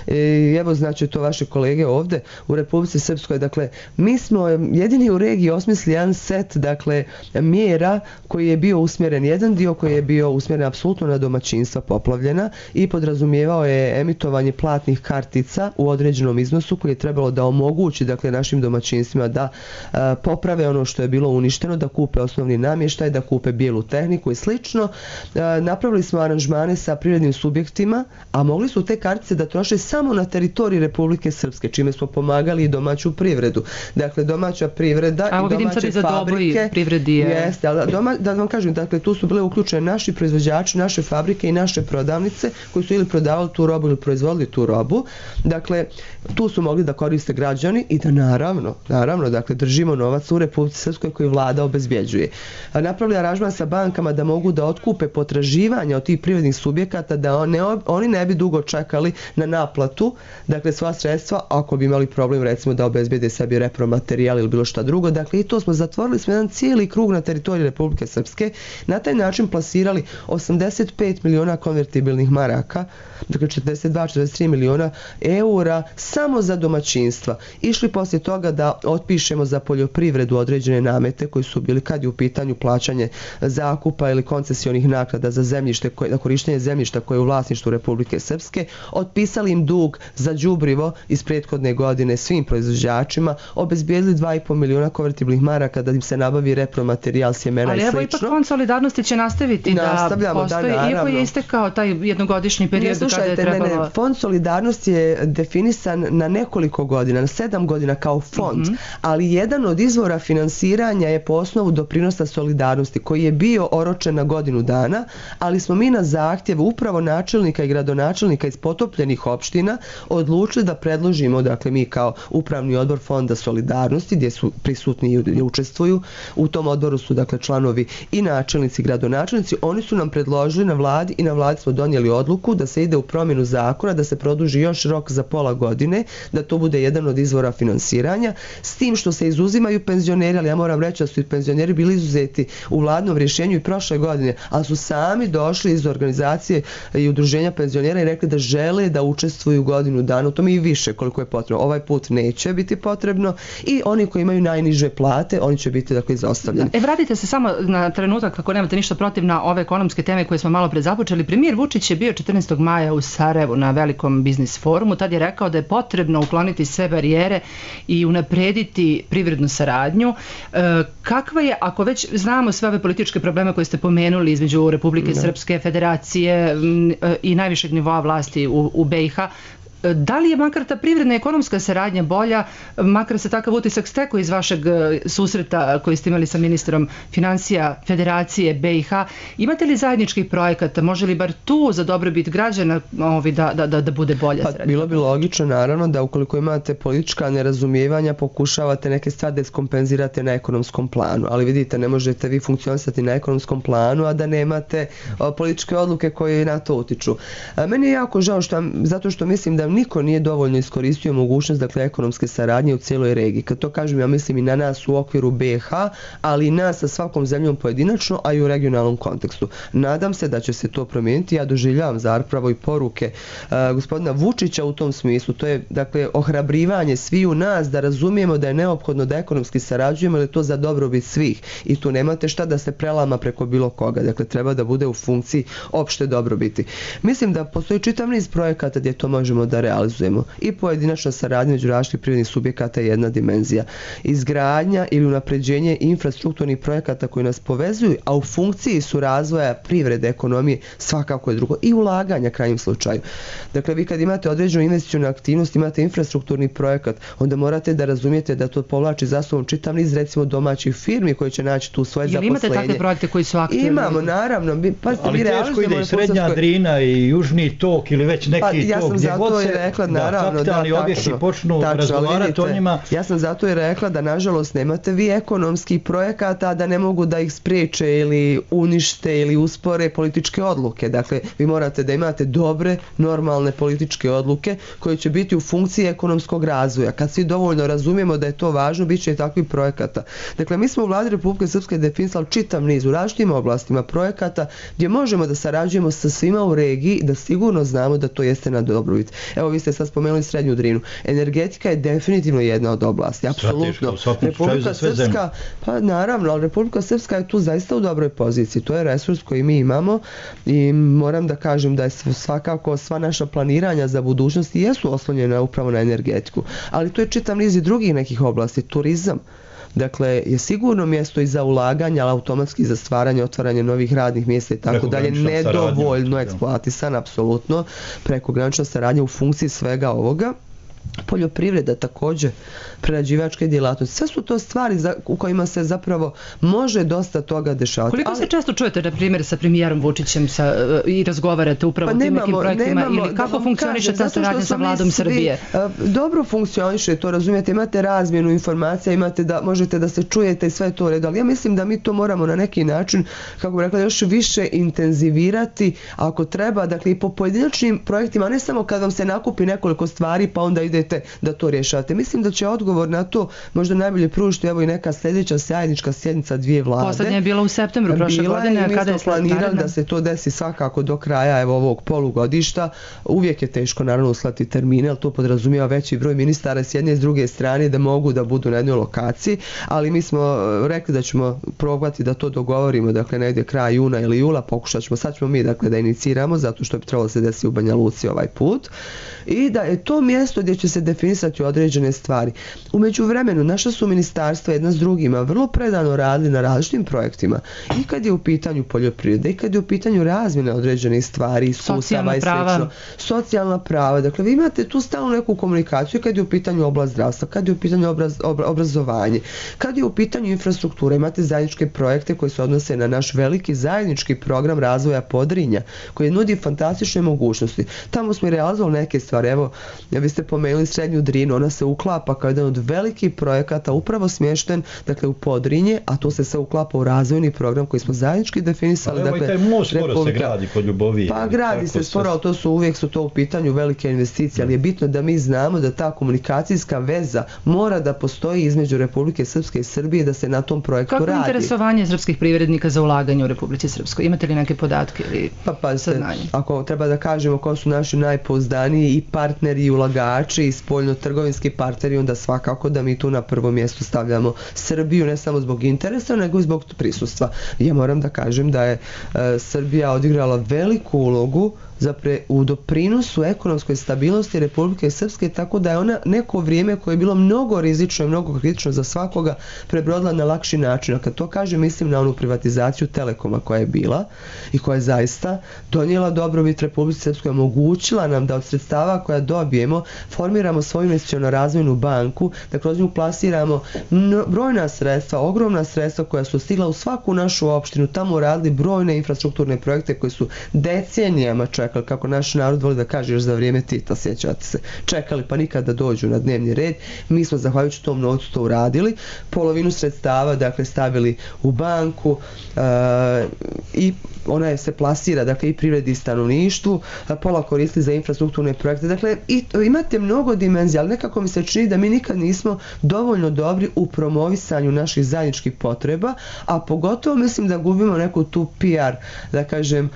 E, evo, znači, to vaše kolege ovdje u Republici Srpskoj, dakle, mi smo jedini u regiji osmislili jedan set, dakle, mjera koji je bio usmjeren, jedan dio koji je bio usmjeren apsolutno na domaćinstva poplavljena i podrazumijevao je emitovanje platnih kartica u određenom iznosu koji je trebalo da omogući, dakle, našim domaćinstvima da a, poprave ono što je bilo uništeno, da kupe osnovni namještaj, da kupe bijelu tehniku i slično. A, napravili smo aranžmane sa privrednim subjektima, a mogli su te kartice da troše samo na teritoriji Republike Srpske, čime smo pomagali i domaću privredu. Dakle, domaća privreda a, i domaće fabrike. Privredi je... Jeste, ali doma, da vam kažem, dakle, tu su bile uključene naši proizvođači, naše fabrike i naše prodavnice koji su ili prodavali tu robu ili proizvodili tu robu. Dakle, tu su mogli da koriste građani i da naravno, naravno, dakle, držimo novac u Republici Srpskoj koji vlada obezbjeđuje. A napravili aranžman sa bankama da mogu da otkupe potraživanja od tih privrednih subjekata, da one, oni ne bi dugo čekali na naplatu, dakle sva sredstva, ako bi imali problem recimo da obezbede sebi repromaterijal ili bilo šta drugo, dakle i to smo zatvorili smo jedan cijeli krug na teritoriji Republike Srpske, na taj način plasirali osamdeset pet miliona konvertibilnih maraka, dakle četrdeset dva četrdeset tri miliona eura samo za domaćinstva. Išli poslije toga da otpišemo za poljoprivredu određene namete koji su bili kad je u pitanju plaćanje zakupa ili koncesionih naknada za zemljište, koje, na korištenje zemljišta koje je u vlasništvu Republike Srpske, otpisali im dug za đubrivo iz prethodne godine svim proizvođačima, obezbijedili dva i po miliona konvertibilnih maraka da im se nabavi repromaterijal, sjemena ali i slično. Ali evo ipak Fond solidarnosti će nastaviti da postoji, da, iako je istekao taj jednogodišnji period kada je trebalo... Ne, ne, Fond solidarnosti je definisan na nekoliko godina, na sedam godina kao fond, mm-hmm. ali jedan od izvora finansiranja je po osnovu doprinosa solidarnosti koji je bio oročen na godinu dana, ali smo mi na zahtjev upravo načelnika i gradonačelnika iz potopljenih opština odlučili da predložimo, dakle mi kao upravni odbor Fonda solidarnosti gdje su prisutni i učestvuju, u tom odboru su dakle članovi i načelnici i gradonačelnici, oni su nam predložili na vladi i na vladi smo donijeli odluku da se ide u promjenu zakona, da se produži još rok za pola godine, da to bude jedan od izvora finansiranja, s tim što se izuzimaju penzioneri, ali ja moram reći da su i penzioneri bili izuzeti u vladnom rješenju i prošle godine, ali su sami došli iz organizacije i udruženja penzionera i rekli da žele da učestvuju godinu dana, u tome i više koliko je potrebno. Ovaj put neće biti potrebno i oni koji imaju najniže plate, oni će biti dakle izostavljeni. E, vratite se samo na trenutak, kako nemate ništa protiv, na ove ekonomske teme koje smo malo pre započeli. Premijer Vučić je bio četrnaestog maja u Sarajevu na velikom biznis forumu. Tad je rekao da je potrebno ukloniti sve barijere i unaprediti privrednu saradnju. E, kakva je, ako već znamo sve ove političke probleme koje ste pomenuli između Republike no. Srpske, Federacije i najvišeg nivoa vlasti u, u B i H, da li je makar ta privredna i ekonomska saradnja bolja, makar se takav utisak stekao iz vašeg susreta koji ste imali sa ministrom financija Federacije B i H? Imate li zajedničkih projekata? Može li bar tu za dobrobit građana ovi, da, da, da, da bude bolja pa, saradnja? Bilo bi logično naravno da ukoliko imate politička nerazumijevanja pokušavate neke stvari da skompenzirate na ekonomskom planu, ali vidite ne možete vi funkcionisati na ekonomskom planu a da nemate o, političke odluke koje na to utiču. A, meni je jako žao što, zato što mislim da niko nije dovoljno iskoristio mogućnost dakle ekonomske saradnje u cijeloj regiji. Kad to kažem, ja mislim i na nas u okviru B i H, ali i nas sa svakom zemljom pojedinačno, a i u regionalnom kontekstu. Nadam se da će se to promijeniti. Ja doživljavam zapravo i poruke uh, gospodina Vučića u tom smislu. To je dakle ohrabrivanje sviju nas da razumijemo da je neophodno da ekonomski sarađujemo, jer je to za dobrobit svih. I tu nemate šta da se prelama preko bilo koga. Dakle, treba da bude u funkciji opšte dobrobiti. Mislim da postoji čitav niz projekata gdje to možemo da realizujemo. I pojedinačna saradnja među različitih privrednih subjekata je jedna dimenzija. Izgradnja ili unapređenje infrastrukturnih projekata koji nas povezuju, a u funkciji su razvoja privrede, ekonomije, svakako je drugo. I ulaganja krajnjem slučaju. Dakle, vi kad imate određenu investicionu aktivnost, imate infrastrukturni projekat, onda morate da razumijete da to povlači za sobom čitav niz recimo domaćih firmi koji će naći tu svoje zaposlenje. Jel imate takve projekte koji su aktivni? Imamo, naravno. Pa, ali teško ide i Srednja Drina i Južni tok ili već neki pa, ja tok gdje god se rekla, naravno, da, kapitalni da, objekti tačno, počnu tačno, razgovarati o njima. Ja sam zato i rekla da nažalost nemate vi ekonomskih projekata da ne mogu da ih spriječe ili unište ili uspore političke odluke. Dakle, vi morate da imate dobre, normalne političke odluke koje će biti u funkciji ekonomskog razvoja. Kad svi dovoljno razumijemo da je to važno, bit će i takvih projekata. Dakle, mi smo u vladi Republike Srpske definisali čitav niz u različitim oblastima projekata gdje možemo da sarađujemo sa svima u regiji, da sigurno znamo da to jeste na dobrobit. Evo, vi ste sad spomenuli Srednju Drinu. Energetika je definitivno jedna od oblasti, apsolutno. Republika Srpska, pa naravno, ali Republika Srpska je tu zaista u dobroj poziciji. To je resurs koji mi imamo i moram da kažem da je svakako sva naša planiranja za budućnost jesu oslonjena upravo na energetiku. Ali to je čitav niz i drugih nekih oblasti. Turizam, dakle, je sigurno mjesto i za ulaganje, ali automatski za stvaranje, otvaranje novih radnih mjesta i tako dalje, nedovoljno eksploatisan, apsolutno, prekogranična saradnja u funkciji svega ovoga. poljoprivreda također, prerađivačke djelatnosti. Sve su to stvari za, u kojima se zapravo može dosta toga dešavati. Koliko ali, se često čujete, na primjer, sa premijerom Vučićem sa, i razgovarate upravo pa o tim nekim projektima nemamo, ili kako funkcioniše ta saradnja sa vladom svi, Srbije? Dobro funkcioniše, to razumijete, imate razmjenu informacija, imate da, možete da se čujete i sve to u redu, ali ja mislim da mi to moramo na neki način, kako bi rekla, još više intenzivirati ako treba, dakle i po pojedinačnim projektima, ne samo kad vam se nakupi nekoliko stvari pa onda idete da to rješavate. Mislim da će odgovor na to možda najbolje pružiti evo i neka sljedeća zajednička sjednica dvije vlade. Poslednja je bila u septembru prošle bila godine. I mi kada smo planirali da se to desi svakako do kraja evo ovog polugodišta. Uvijek je teško naravno uslati termine, ali to podrazumijeva veći broj ministara s jedne i s druge strane da mogu da budu na jednoj lokaciji, ali mi smo rekli da ćemo probati da to dogovorimo, dakle negdje kraj juna ili jula, pokušat ćemo, sad ćemo mi dakle da iniciramo, zato što bi trebalo se desiti u Banja Luci ovaj put, i da je to mjesto gdje će se definisati određene stvari. U međuvremenu naša su ministarstva jedna s drugima vrlo predano radili na različitim projektima, i kad je u pitanju poljoprivrede, i kad je u pitanju razmjene određenih stvari, iskustava i slično. Socijalna prava. Dakle, vi imate tu stalnu neku komunikaciju kad je u pitanju oblast zdravstva, kad je u pitanju obraz, obra, obrazovanje, kad je u pitanju infrastruktura, imate zajedničke projekte koji se odnose na naš veliki zajednički program razvoja Podrinja, koji nudi fantastične mogućnosti. Tamo smo i realizovali neke stvari. Evo, vi ste pomenuli Srednju Drinu, ona se uklapa kao jedan od velikih projekata upravo smješten, dakle, u Podrinje, a to se sve uklapa u razvojni program koji smo zajednički definisali. Pa evo, dakle, i taj most skoro se gradi kod Ljubovije. Pa gradi se skoro, ali to su uvijek su to u pitanju velike investicije, ali je bitno da mi znamo da ta komunikacijska veza mora da postoji između Republike Srpske i Srbije, da se na tom projektu Kako radi. Kako je interesovanje srpskih privrednika za ulaganje u Republici Srpskoj? Imate li neke podatke ili pa, pa, saznanje? Ako treba da kažemo ko su naši najpouzdaniji i partneri i ulagači i spoljno-trgovinski partneri, onda svakako da mi tu na prvo mjesto stavljamo Srbiju, ne samo zbog interesa, nego i zbog prisustva. Ja moram da kažem da je e, Srbija odigrala veliku ulogu zapre, u doprinosu ekonomskoj stabilnosti Republike Srpske, tako da je ona neko vrijeme koje je bilo mnogo rizično i mnogo kritično za svakoga prebrodila na lakši način. A kad to kažem, mislim na onu privatizaciju Telekoma koja je bila i koja je zaista donijela dobrobit Republike Srpskoj, omogućila nam da od sredstava koja dobijemo formiramo svoju investiciono-razvojnu banku, da kroz nju plasiramo brojna sredstva, ogromna sredstva koja su stigla u svaku našu opštinu, tamo radili brojne infrastrukturne projekte koji su decenijama čekali, kako naš narod voli da kaže još za vrijeme Tita, sjećate se, čekali pa nikad da dođu na dnevni red. Mi smo zahvaljujući tom novcu to uradili, polovinu sredstava dakle stavili u banku e, i ona je se plasira dakle i privredi i stanovništvu, pola koristili za infrastrukturne projekte. Dakle, i, imate mnogo dimenzija, ali nekako mi se čini da mi nikad nismo dovoljno dobri u promovisanju naših zajedničkih potreba, a pogotovo mislim da gubimo neku tu P R, da kažem,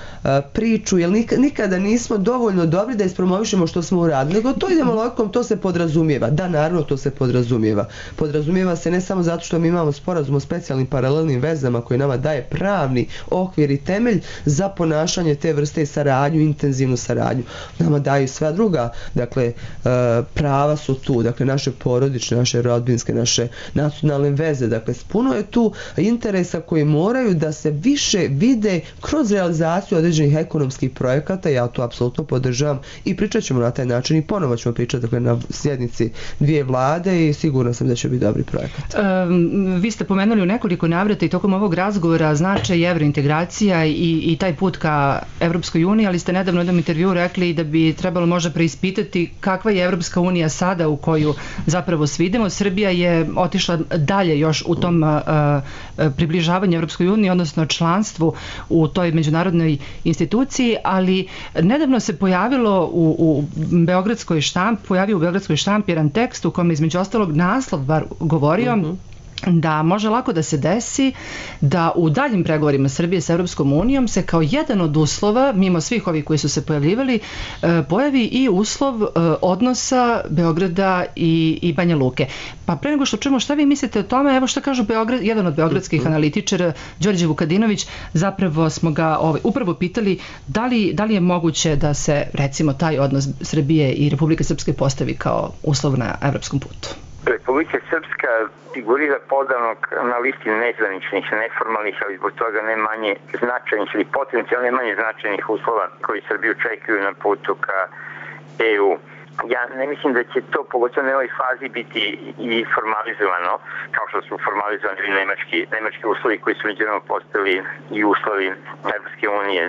priču, jer nikad, nikada nismo dovoljno dobri da ispromovišemo što smo uradili, nego to idemo logikom, to se podrazumijeva. Da, naravno, to se podrazumijeva. Podrazumijeva se ne samo zato što mi imamo sporazum o specijalnim paralelnim vezama koji nama daje pravni okvir i temelj za ponašanje te vrste i saradnju, intenzivnu saradnju. Nama daju sva druga, dakle, prava su tu, dakle, naše porodične, naše rodbinske, naše nacionalne veze, dakle, puno je tu interesa koji moraju da se više vide kroz realizaciju određenih ekonomskih projekata. Ja to apsolutno podržavam i pričat ćemo na taj način i ponovo ćemo pričati, dakle, na sjednici dvije vlade i sigurno sam da će biti dobri projekat. Um, vi ste pomenuli u nekoliko navrata i tokom ovog razgovora značaj evrointegracija i, i taj put ka Evropskoj uniji, ali ste nedavno u jednom intervju rekli da bi trebalo možda preispitati kakva je Evropska unija sada u koju zapravo svidimo. Srbija je otišla dalje još u tom uh, približavanju Evropskoj uniji, odnosno članstvu u toj međunarodnoj instituciji, ali nedavno se pojavilo u, u Beogradskoj štampi, pojavio u Beogradskoj štampi jedan tekst u kome između ostalog naslov bar govorio uh-huh. da može lako da se desi da u daljim pregovorima Srbije sa Europskom unijom se kao jedan od uslova, mimo svih ovih koji su se pojavljivali, pojavi i uslov odnosa Beograda i, i Banja Luke. Pa pre nego što čujemo šta vi mislite o tome, evo šta kažu Beograd, jedan od beogradskih analitičara, Đorđe Vukadinović, zapravo smo ga ovaj, upravo pitali da li, da li je moguće da se recimo taj odnos Srbije i Republike Srpske postavi kao uslov na evropskom putu. Republika Srpska figurira podavno na listi nezvaničnih, neformalnih, ali zbog toga ne manje značajnih ili potencijalno ne manje značajnih uslova koji Srbiju čekaju na putu ka E U. ja ne mislim da će to, pogotovo na ovoj fazi, biti i formalizovano, kao što su formalizovani nemački, nemački uslovi koji su međunarodno postali i uslovi Evropske unije.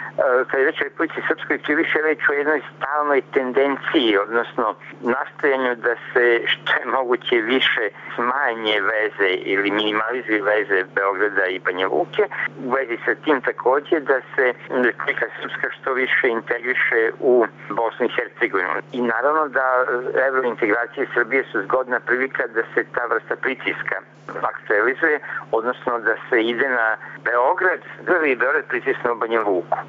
Kad je reč o Republici Srpskoj, tu više reč o jednoj stalnoj tendenciji, odnosno nastojanju da se što je moguće više smanje veze ili minimalizuje veze Beograda i Banja Luke, u vezi sa tim takođe da se Republika Srpska što više integriše u Bosnu i Hercegovinu. I naravno da evrointegracije Srbije su zgodna prilika da se ta vrsta pritiska aktualizuje, odnosno da se ide na Beograd, da li Beograd pritisne u Banja Luku.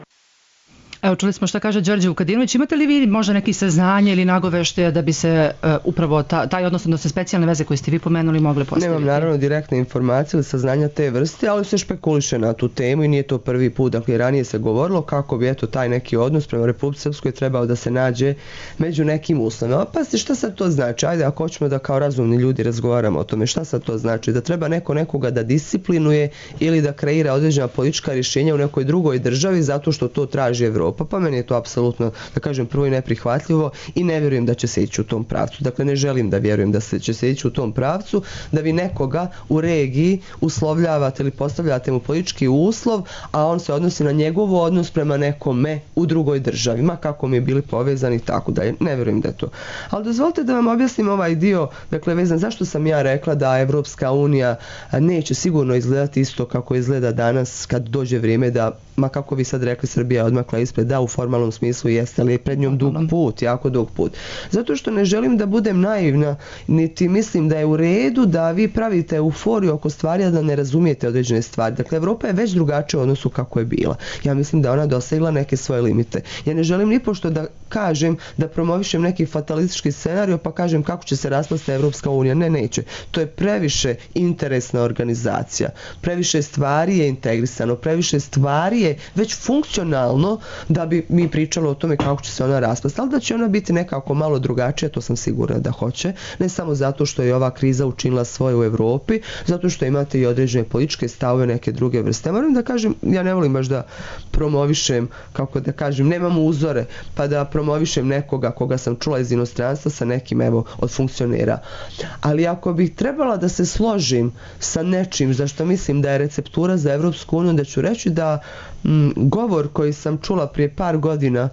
Evo, čuli smo šta kaže Đorđe Vukadinović. Imate li vi možda neki saznanje ili nagoveštaja da bi se uh, upravo ta, taj odnosno da se specijalne veze koje ste vi pomenuli mogle postaviti? Nemam naravno direktne informacije ili saznanja te vrste, ali se špekuliše na tu temu i nije to prvi put. Dakle, ranije se govorilo kako bi eto taj neki odnos prema Republici Srpskoj trebao da se nađe među nekim uslovima. Pa ste, šta sad to znači? Ajde, ako hoćemo da kao razumni ljudi razgovaramo o tome, šta sad to znači? Da treba neko nekoga da disciplinuje ili da kreira određena politička rješenja u nekoj drugoj državi zato što to traži Evropa. Pa meni je to apsolutno, da kažem, prvo i neprihvatljivo i ne vjerujem da će se ići u tom pravcu. Dakle, ne želim da vjerujem da se će se ići u tom pravcu, da vi nekoga u regiji uslovljavate ili postavljate mu politički uslov, a on se odnosi na njegov odnos prema nekome u drugoj državi, ma kako mi je bili povezani i tako dalje. Ne vjerujem da je to. Ali dozvolite da vam objasnim ovaj dio, dakle, vezan zašto sam ja rekla da Evropska unija neće sigurno izgledati isto kako izgleda danas kad dođe vrijeme da, ma kako vi sad rekli, Srbija odmakla ispred, da, u formalnom smislu jeste, ali je pred njom dug put, jako dug put. Zato što ne želim da budem naivna, niti mislim da je u redu da vi pravite euforiju oko stvari, a da ne razumijete određene stvari. Dakle, Evropa je već drugačija u odnosu kako je bila. Ja mislim da ona dosegla neke svoje limite. Ja ne želim ni pošto da kažem, da promovišem neki fatalistički scenario, pa kažem kako će se raspasti Evropska unija. Ne, neće. To je previše interesna organizacija. Previše stvari je integrisano, previše stvari je već funkcionalno da bi mi pričali o tome kako će se ona raspasti. Ali da će ona biti nekako malo drugačija, to sam sigurna da hoće. Ne samo zato što je ova kriza učinila svoje u Evropi, zato što imate i određene političke stavove, neke druge vrste. Moram da kažem, ja ne volim baš da promovišem, kako da kažem, nemam uzore, pa da promovišem nekoga koga sam čula iz inostranstva sa nekim, evo, od funkcionera. Ali ako bih trebala da se složim sa nečim za što mislim da je receptura za Evropsku uniju, da ću reći da m, govor koji sam čula prije par godina,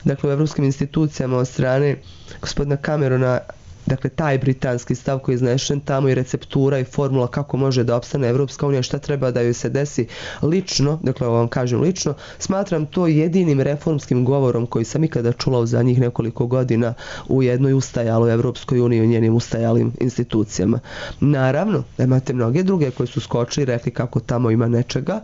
dakle u evropskim institucijama od strane gospodina Camerona, dakle taj britanski stav koji je iznešen tamo i receptura i formula kako može da opstane Evropska unija, šta treba da joj se desi lično, dakle ovo vam kažem lično, smatram to jedinim reformskim govorom koji sam ikada čula u zadnjih nekoliko godina u jednoj ustajaloj Evropskoj uniji i u njenim ustajalim institucijama. Naravno, imate mnoge druge koji su skočili i rekli kako tamo ima nečega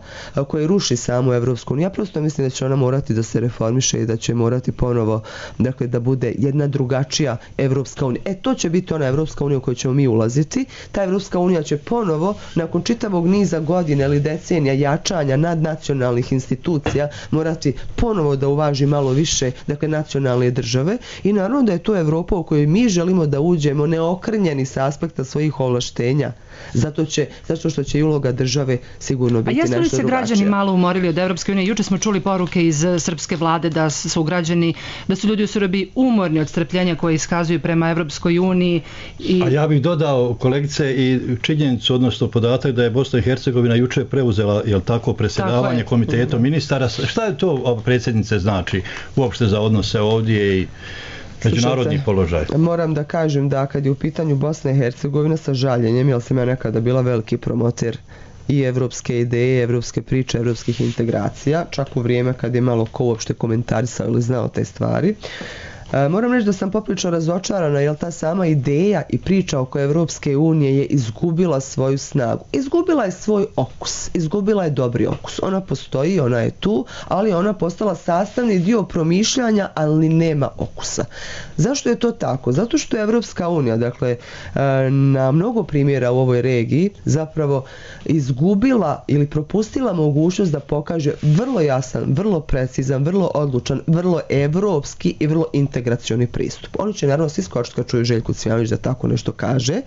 koji ruši samu Evropsku uniju. Ja prosto mislim da će ona morati da se reformiše i da će morati ponovo, dakle, da bude jedna drugačija Evropska unija. E, to će biti ona Evropska unija u kojoj ćemo mi ulaziti. Ta Evropska unija će ponovo, nakon čitavog niza godina ili decenija jačanja nadnacionalnih institucija, morati ponovo da uvaži malo više, dakle, nacionalne države i naravno da je to Evropa u kojoj mi želimo da uđemo neokrnjeni sa aspekta svojih ovlaštenja. Zato će, zato što će i uloga države sigurno biti nešto drugačija. A jesu li se građani malo umorili od Evropske unije? Juče smo čuli poruke iz srpske vlade da su građani, da su ljudi u Srbiji umorni od strpljenja koje iskazuju prema Evropskoj uniji. I... A ja bih dodao, kolegice, i činjenicu, odnosno podatak da je Bosna i Hercegovina juče preuzela, jel tako, predsjedavanje tako komitetom ministara. Šta je to, predsjednice, znači uopšte za odnose ovdje i međunarodni položaj? Moram da kažem da kad je u pitanju Bosna i Hercegovina, sa žaljenjem, jer sam ja nekada bila veliki promoter i evropske ideje, evropske priče, evropskih integracija, čak u vrijeme kad je malo ko uopšte komentarisao ili znao te stvari. E, moram reći da sam poprilično razočarana, jer ta sama ideja i priča oko Evropske unije je izgubila svoju snagu. Izgubila je svoj okus, izgubila je dobri okus. Ona postoji, ona je tu, ali ona postala sastavni dio promišljanja, ali nema okusa. Zašto je to tako? Zato što je Evropska unija, dakle, na mnogo primjera u ovoj regiji, zapravo izgubila ili propustila mogućnost da pokaže vrlo jasan, vrlo precizan, vrlo odlučan, vrlo evropski i vrlo integracioni pristup. Oni će naravno svi skočiti kad čuju Željku Cvijanović da tako nešto kaže,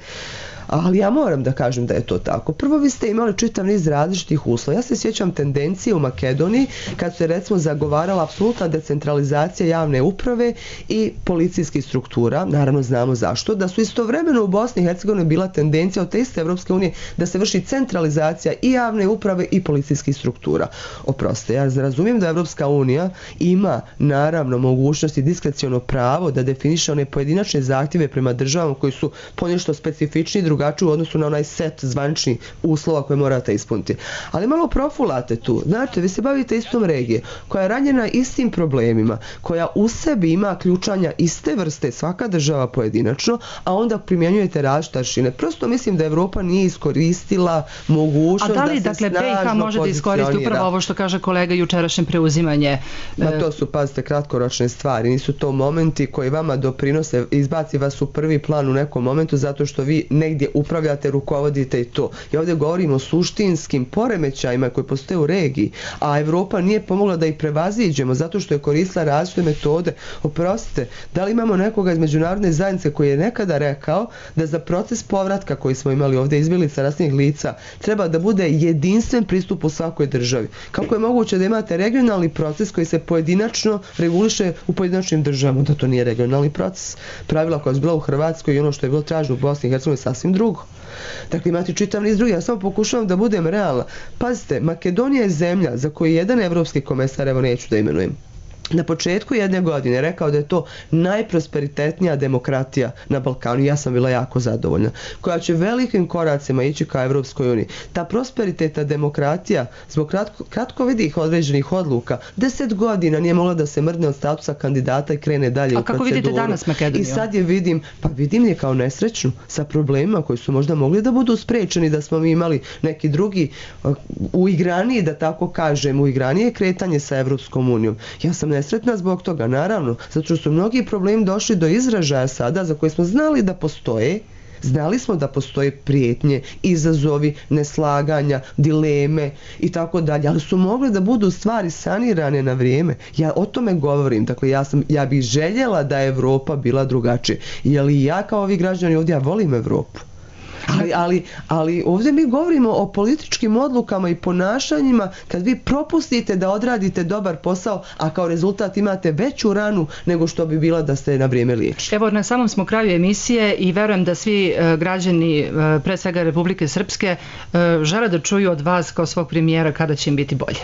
Ali ja moram da kažem da je to tako. Prvo, vi ste imali čitav niz različitih uslova. Ja se sjećam tendencije u Makedoniji kad se recimo zagovarala apsolutna decentralizacija javne uprave i policijskih struktura. Naravno znamo zašto. Da su istovremeno u Bosni i Hercegovini bila tendencija od te iste Evropske unije da se vrši centralizacija i javne uprave i policijskih struktura. Oproste, ja razumijem da Evropska unija ima naravno mogućnost i diskreciono pravo da definiše one pojedinačne zahtjeve prema državama koji su ponešto specifični i drugačiji u odnosu na onaj set zvaničnih uslova koje morate ispuniti. Ali malo profulate tu. Znate, vi se bavite istom regije koja je ranjena istim problemima, koja u sebi ima ključanja iste vrste, svaka država pojedinačno, a onda primjenjujete različite aršine. Prosto mislim da Evropa nije iskoristila mogućnost da se snažno pozicionira. A da li, dakle, B i H može da iskoristi upravo ovo što kaže kolega jučerašnje preuzimanje? Ma to su, pazite, kratkoročne stvari. Nisu to momenti koji vama doprinose, izbaci vas u prvi plan u nekom momentu zato što vi negdje upravljate, rukovodite i to. I ovdje govorimo o suštinskim poremećajima koji postoje u regiji, a Evropa nije pomogla da ih prevaziđemo zato što je koristila različite metode. Oprostite, da li imamo nekoga iz međunarodne zajednice koji je nekada rekao da za proces povratka koji smo imali ovdje izbjeglica rasnih lica treba da bude jedinstven pristup u svakoj državi? Kako je moguće da imate regionalni proces koji se pojedinačno reguliše u pojedinačnim državama? Da to nije regionalni proces. Pravila koja su bila u Hrvatskoj i ono što je bilo traženo u Bosni i Hercegovini je sasvim drugo. Dakle, imate čitav niz drugih. Ja samo pokušavam da budem realna. Pazite, Makedonija je zemlja za koju jedan evropski komesar, evo neću da imenujem, na početku jedne godine rekao da je to najprosperitetnija demokratija na Balkanu. Ja sam bila jako zadovoljna. Koja će velikim koracima ići ka Evropskoj uniji. Ta prosperitetna demokratija zbog kratko, kratkovidih određenih odluka deset godina nije mogla da se mrdne od statusa kandidata i krene dalje u proceduru. A kako vidite danas Makedoniju? I sad je vidim, pa vidim je kao nesrećnu sa problemima koji su možda mogli da budu sprečeni da smo mi imali neki drugi uigraniji, da tako kažem, uigranije kretanje sa Evropskom unijom. Ja sam nesretna zbog toga, naravno, zato što su mnogi problemi došli do izražaja sada za koje smo znali da postoje. Znali smo da postoje prijetnje, izazovi, neslaganja, dileme i tako dalje, ali su mogle da budu stvari sanirane na vrijeme. Ja o tome govorim, dakle ja, sam, ja bih željela da je Evropa bila drugačija. Jer i ja kao ovi građani ovdje, ja volim Evropu. Ali, ali, ali ovdje mi govorimo o političkim odlukama i ponašanjima kad vi propustite da odradite dobar posao, a kao rezultat imate veću ranu nego što bi bila da ste na vrijeme liječili. Evo, na samom smo kraju emisije i verujem da svi uh, građani, uh, pre svega Republike Srpske, uh, žele da čuju od vas kao svog premijera kada će im biti bolje.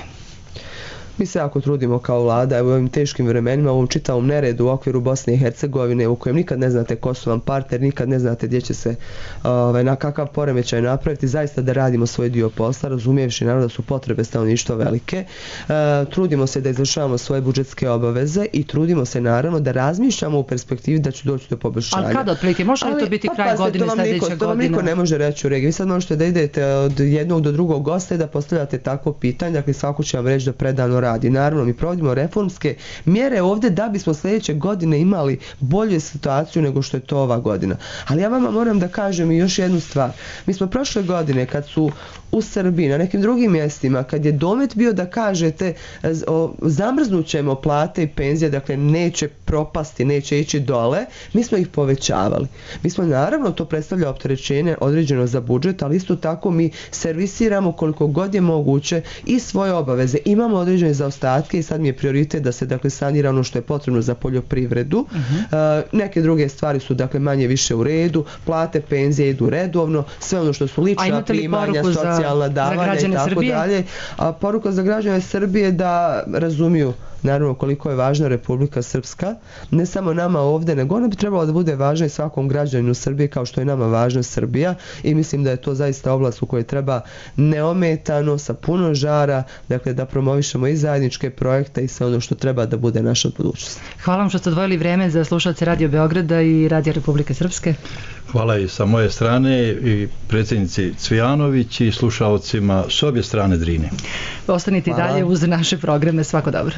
Mi se jako trudimo kao vlada u ovim teškim vremenima, u ovom čitavom neredu u okviru Bosne i Hercegovine u kojem nikad ne znate ko su vam partner, nikad ne znate gdje će se ovaj, na kakav poremećaj napraviti, zaista da radimo svoj dio posla, razumijevši naravno da su potrebe stanovništva velike. E, trudimo se da izvršavamo svoje budžetske obaveze i trudimo se naravno da razmišljamo u perspektivi da će doći do poboljšanja. Ali kada otprilike? Može li to biti pa, kraj pa, godine, sljedeća godina? To vam niko ne može reći u regiji. Vi sad možete da idete od jednog do drugog gosta i da postavljate takvo pitanje, dakle svako će vam reći da predano radi. Naravno, mi provodimo reformske mjere ovdje da bismo sljedeće godine imali bolju situaciju nego što je to ova godina. Ali ja vama moram da kažem i još jednu stvar. Mi smo prošle godine kad su u Srbiji, na nekim drugim mjestima, kad je domet bio da kažete zamrznut ćemo plate i penzije, dakle neće propasti, neće ići dole, mi smo ih povećavali. Mi smo naravno, to predstavlja opterećenje određeno za budžet, ali isto tako mi servisiramo koliko god je moguće i svoje obaveze. Imamo određene zaostatke i sad mi je prioritet da se dakle sanira ono što je potrebno za poljoprivredu. Uh-huh. Uh, neke druge stvari su dakle manje više u redu, plate, penzije idu redovno, sve ono što su lična primanja, socijalna davanja i tako dalje. A poruka za građane Srbije da razumiju naravno koliko je važna Republika Srpska, ne samo nama ovdje, nego ona bi trebala da bude važna i svakom građaninu Srbije kao što je nama važna Srbija i mislim da je to zaista oblast u kojoj treba neometano, sa puno žara, dakle da promovišemo i zajedničke projekte i sve ono što treba da bude naša budućnost. Hvala vam što ste odvojili vrijeme za slušalce Radio Beograda i Radio Republike Srpske. Hvala i sa moje strane i predsjednici Cvijanović i slušalcima s obje strane Drine. Ostanite i dalje uz naše programe. Svako dobro.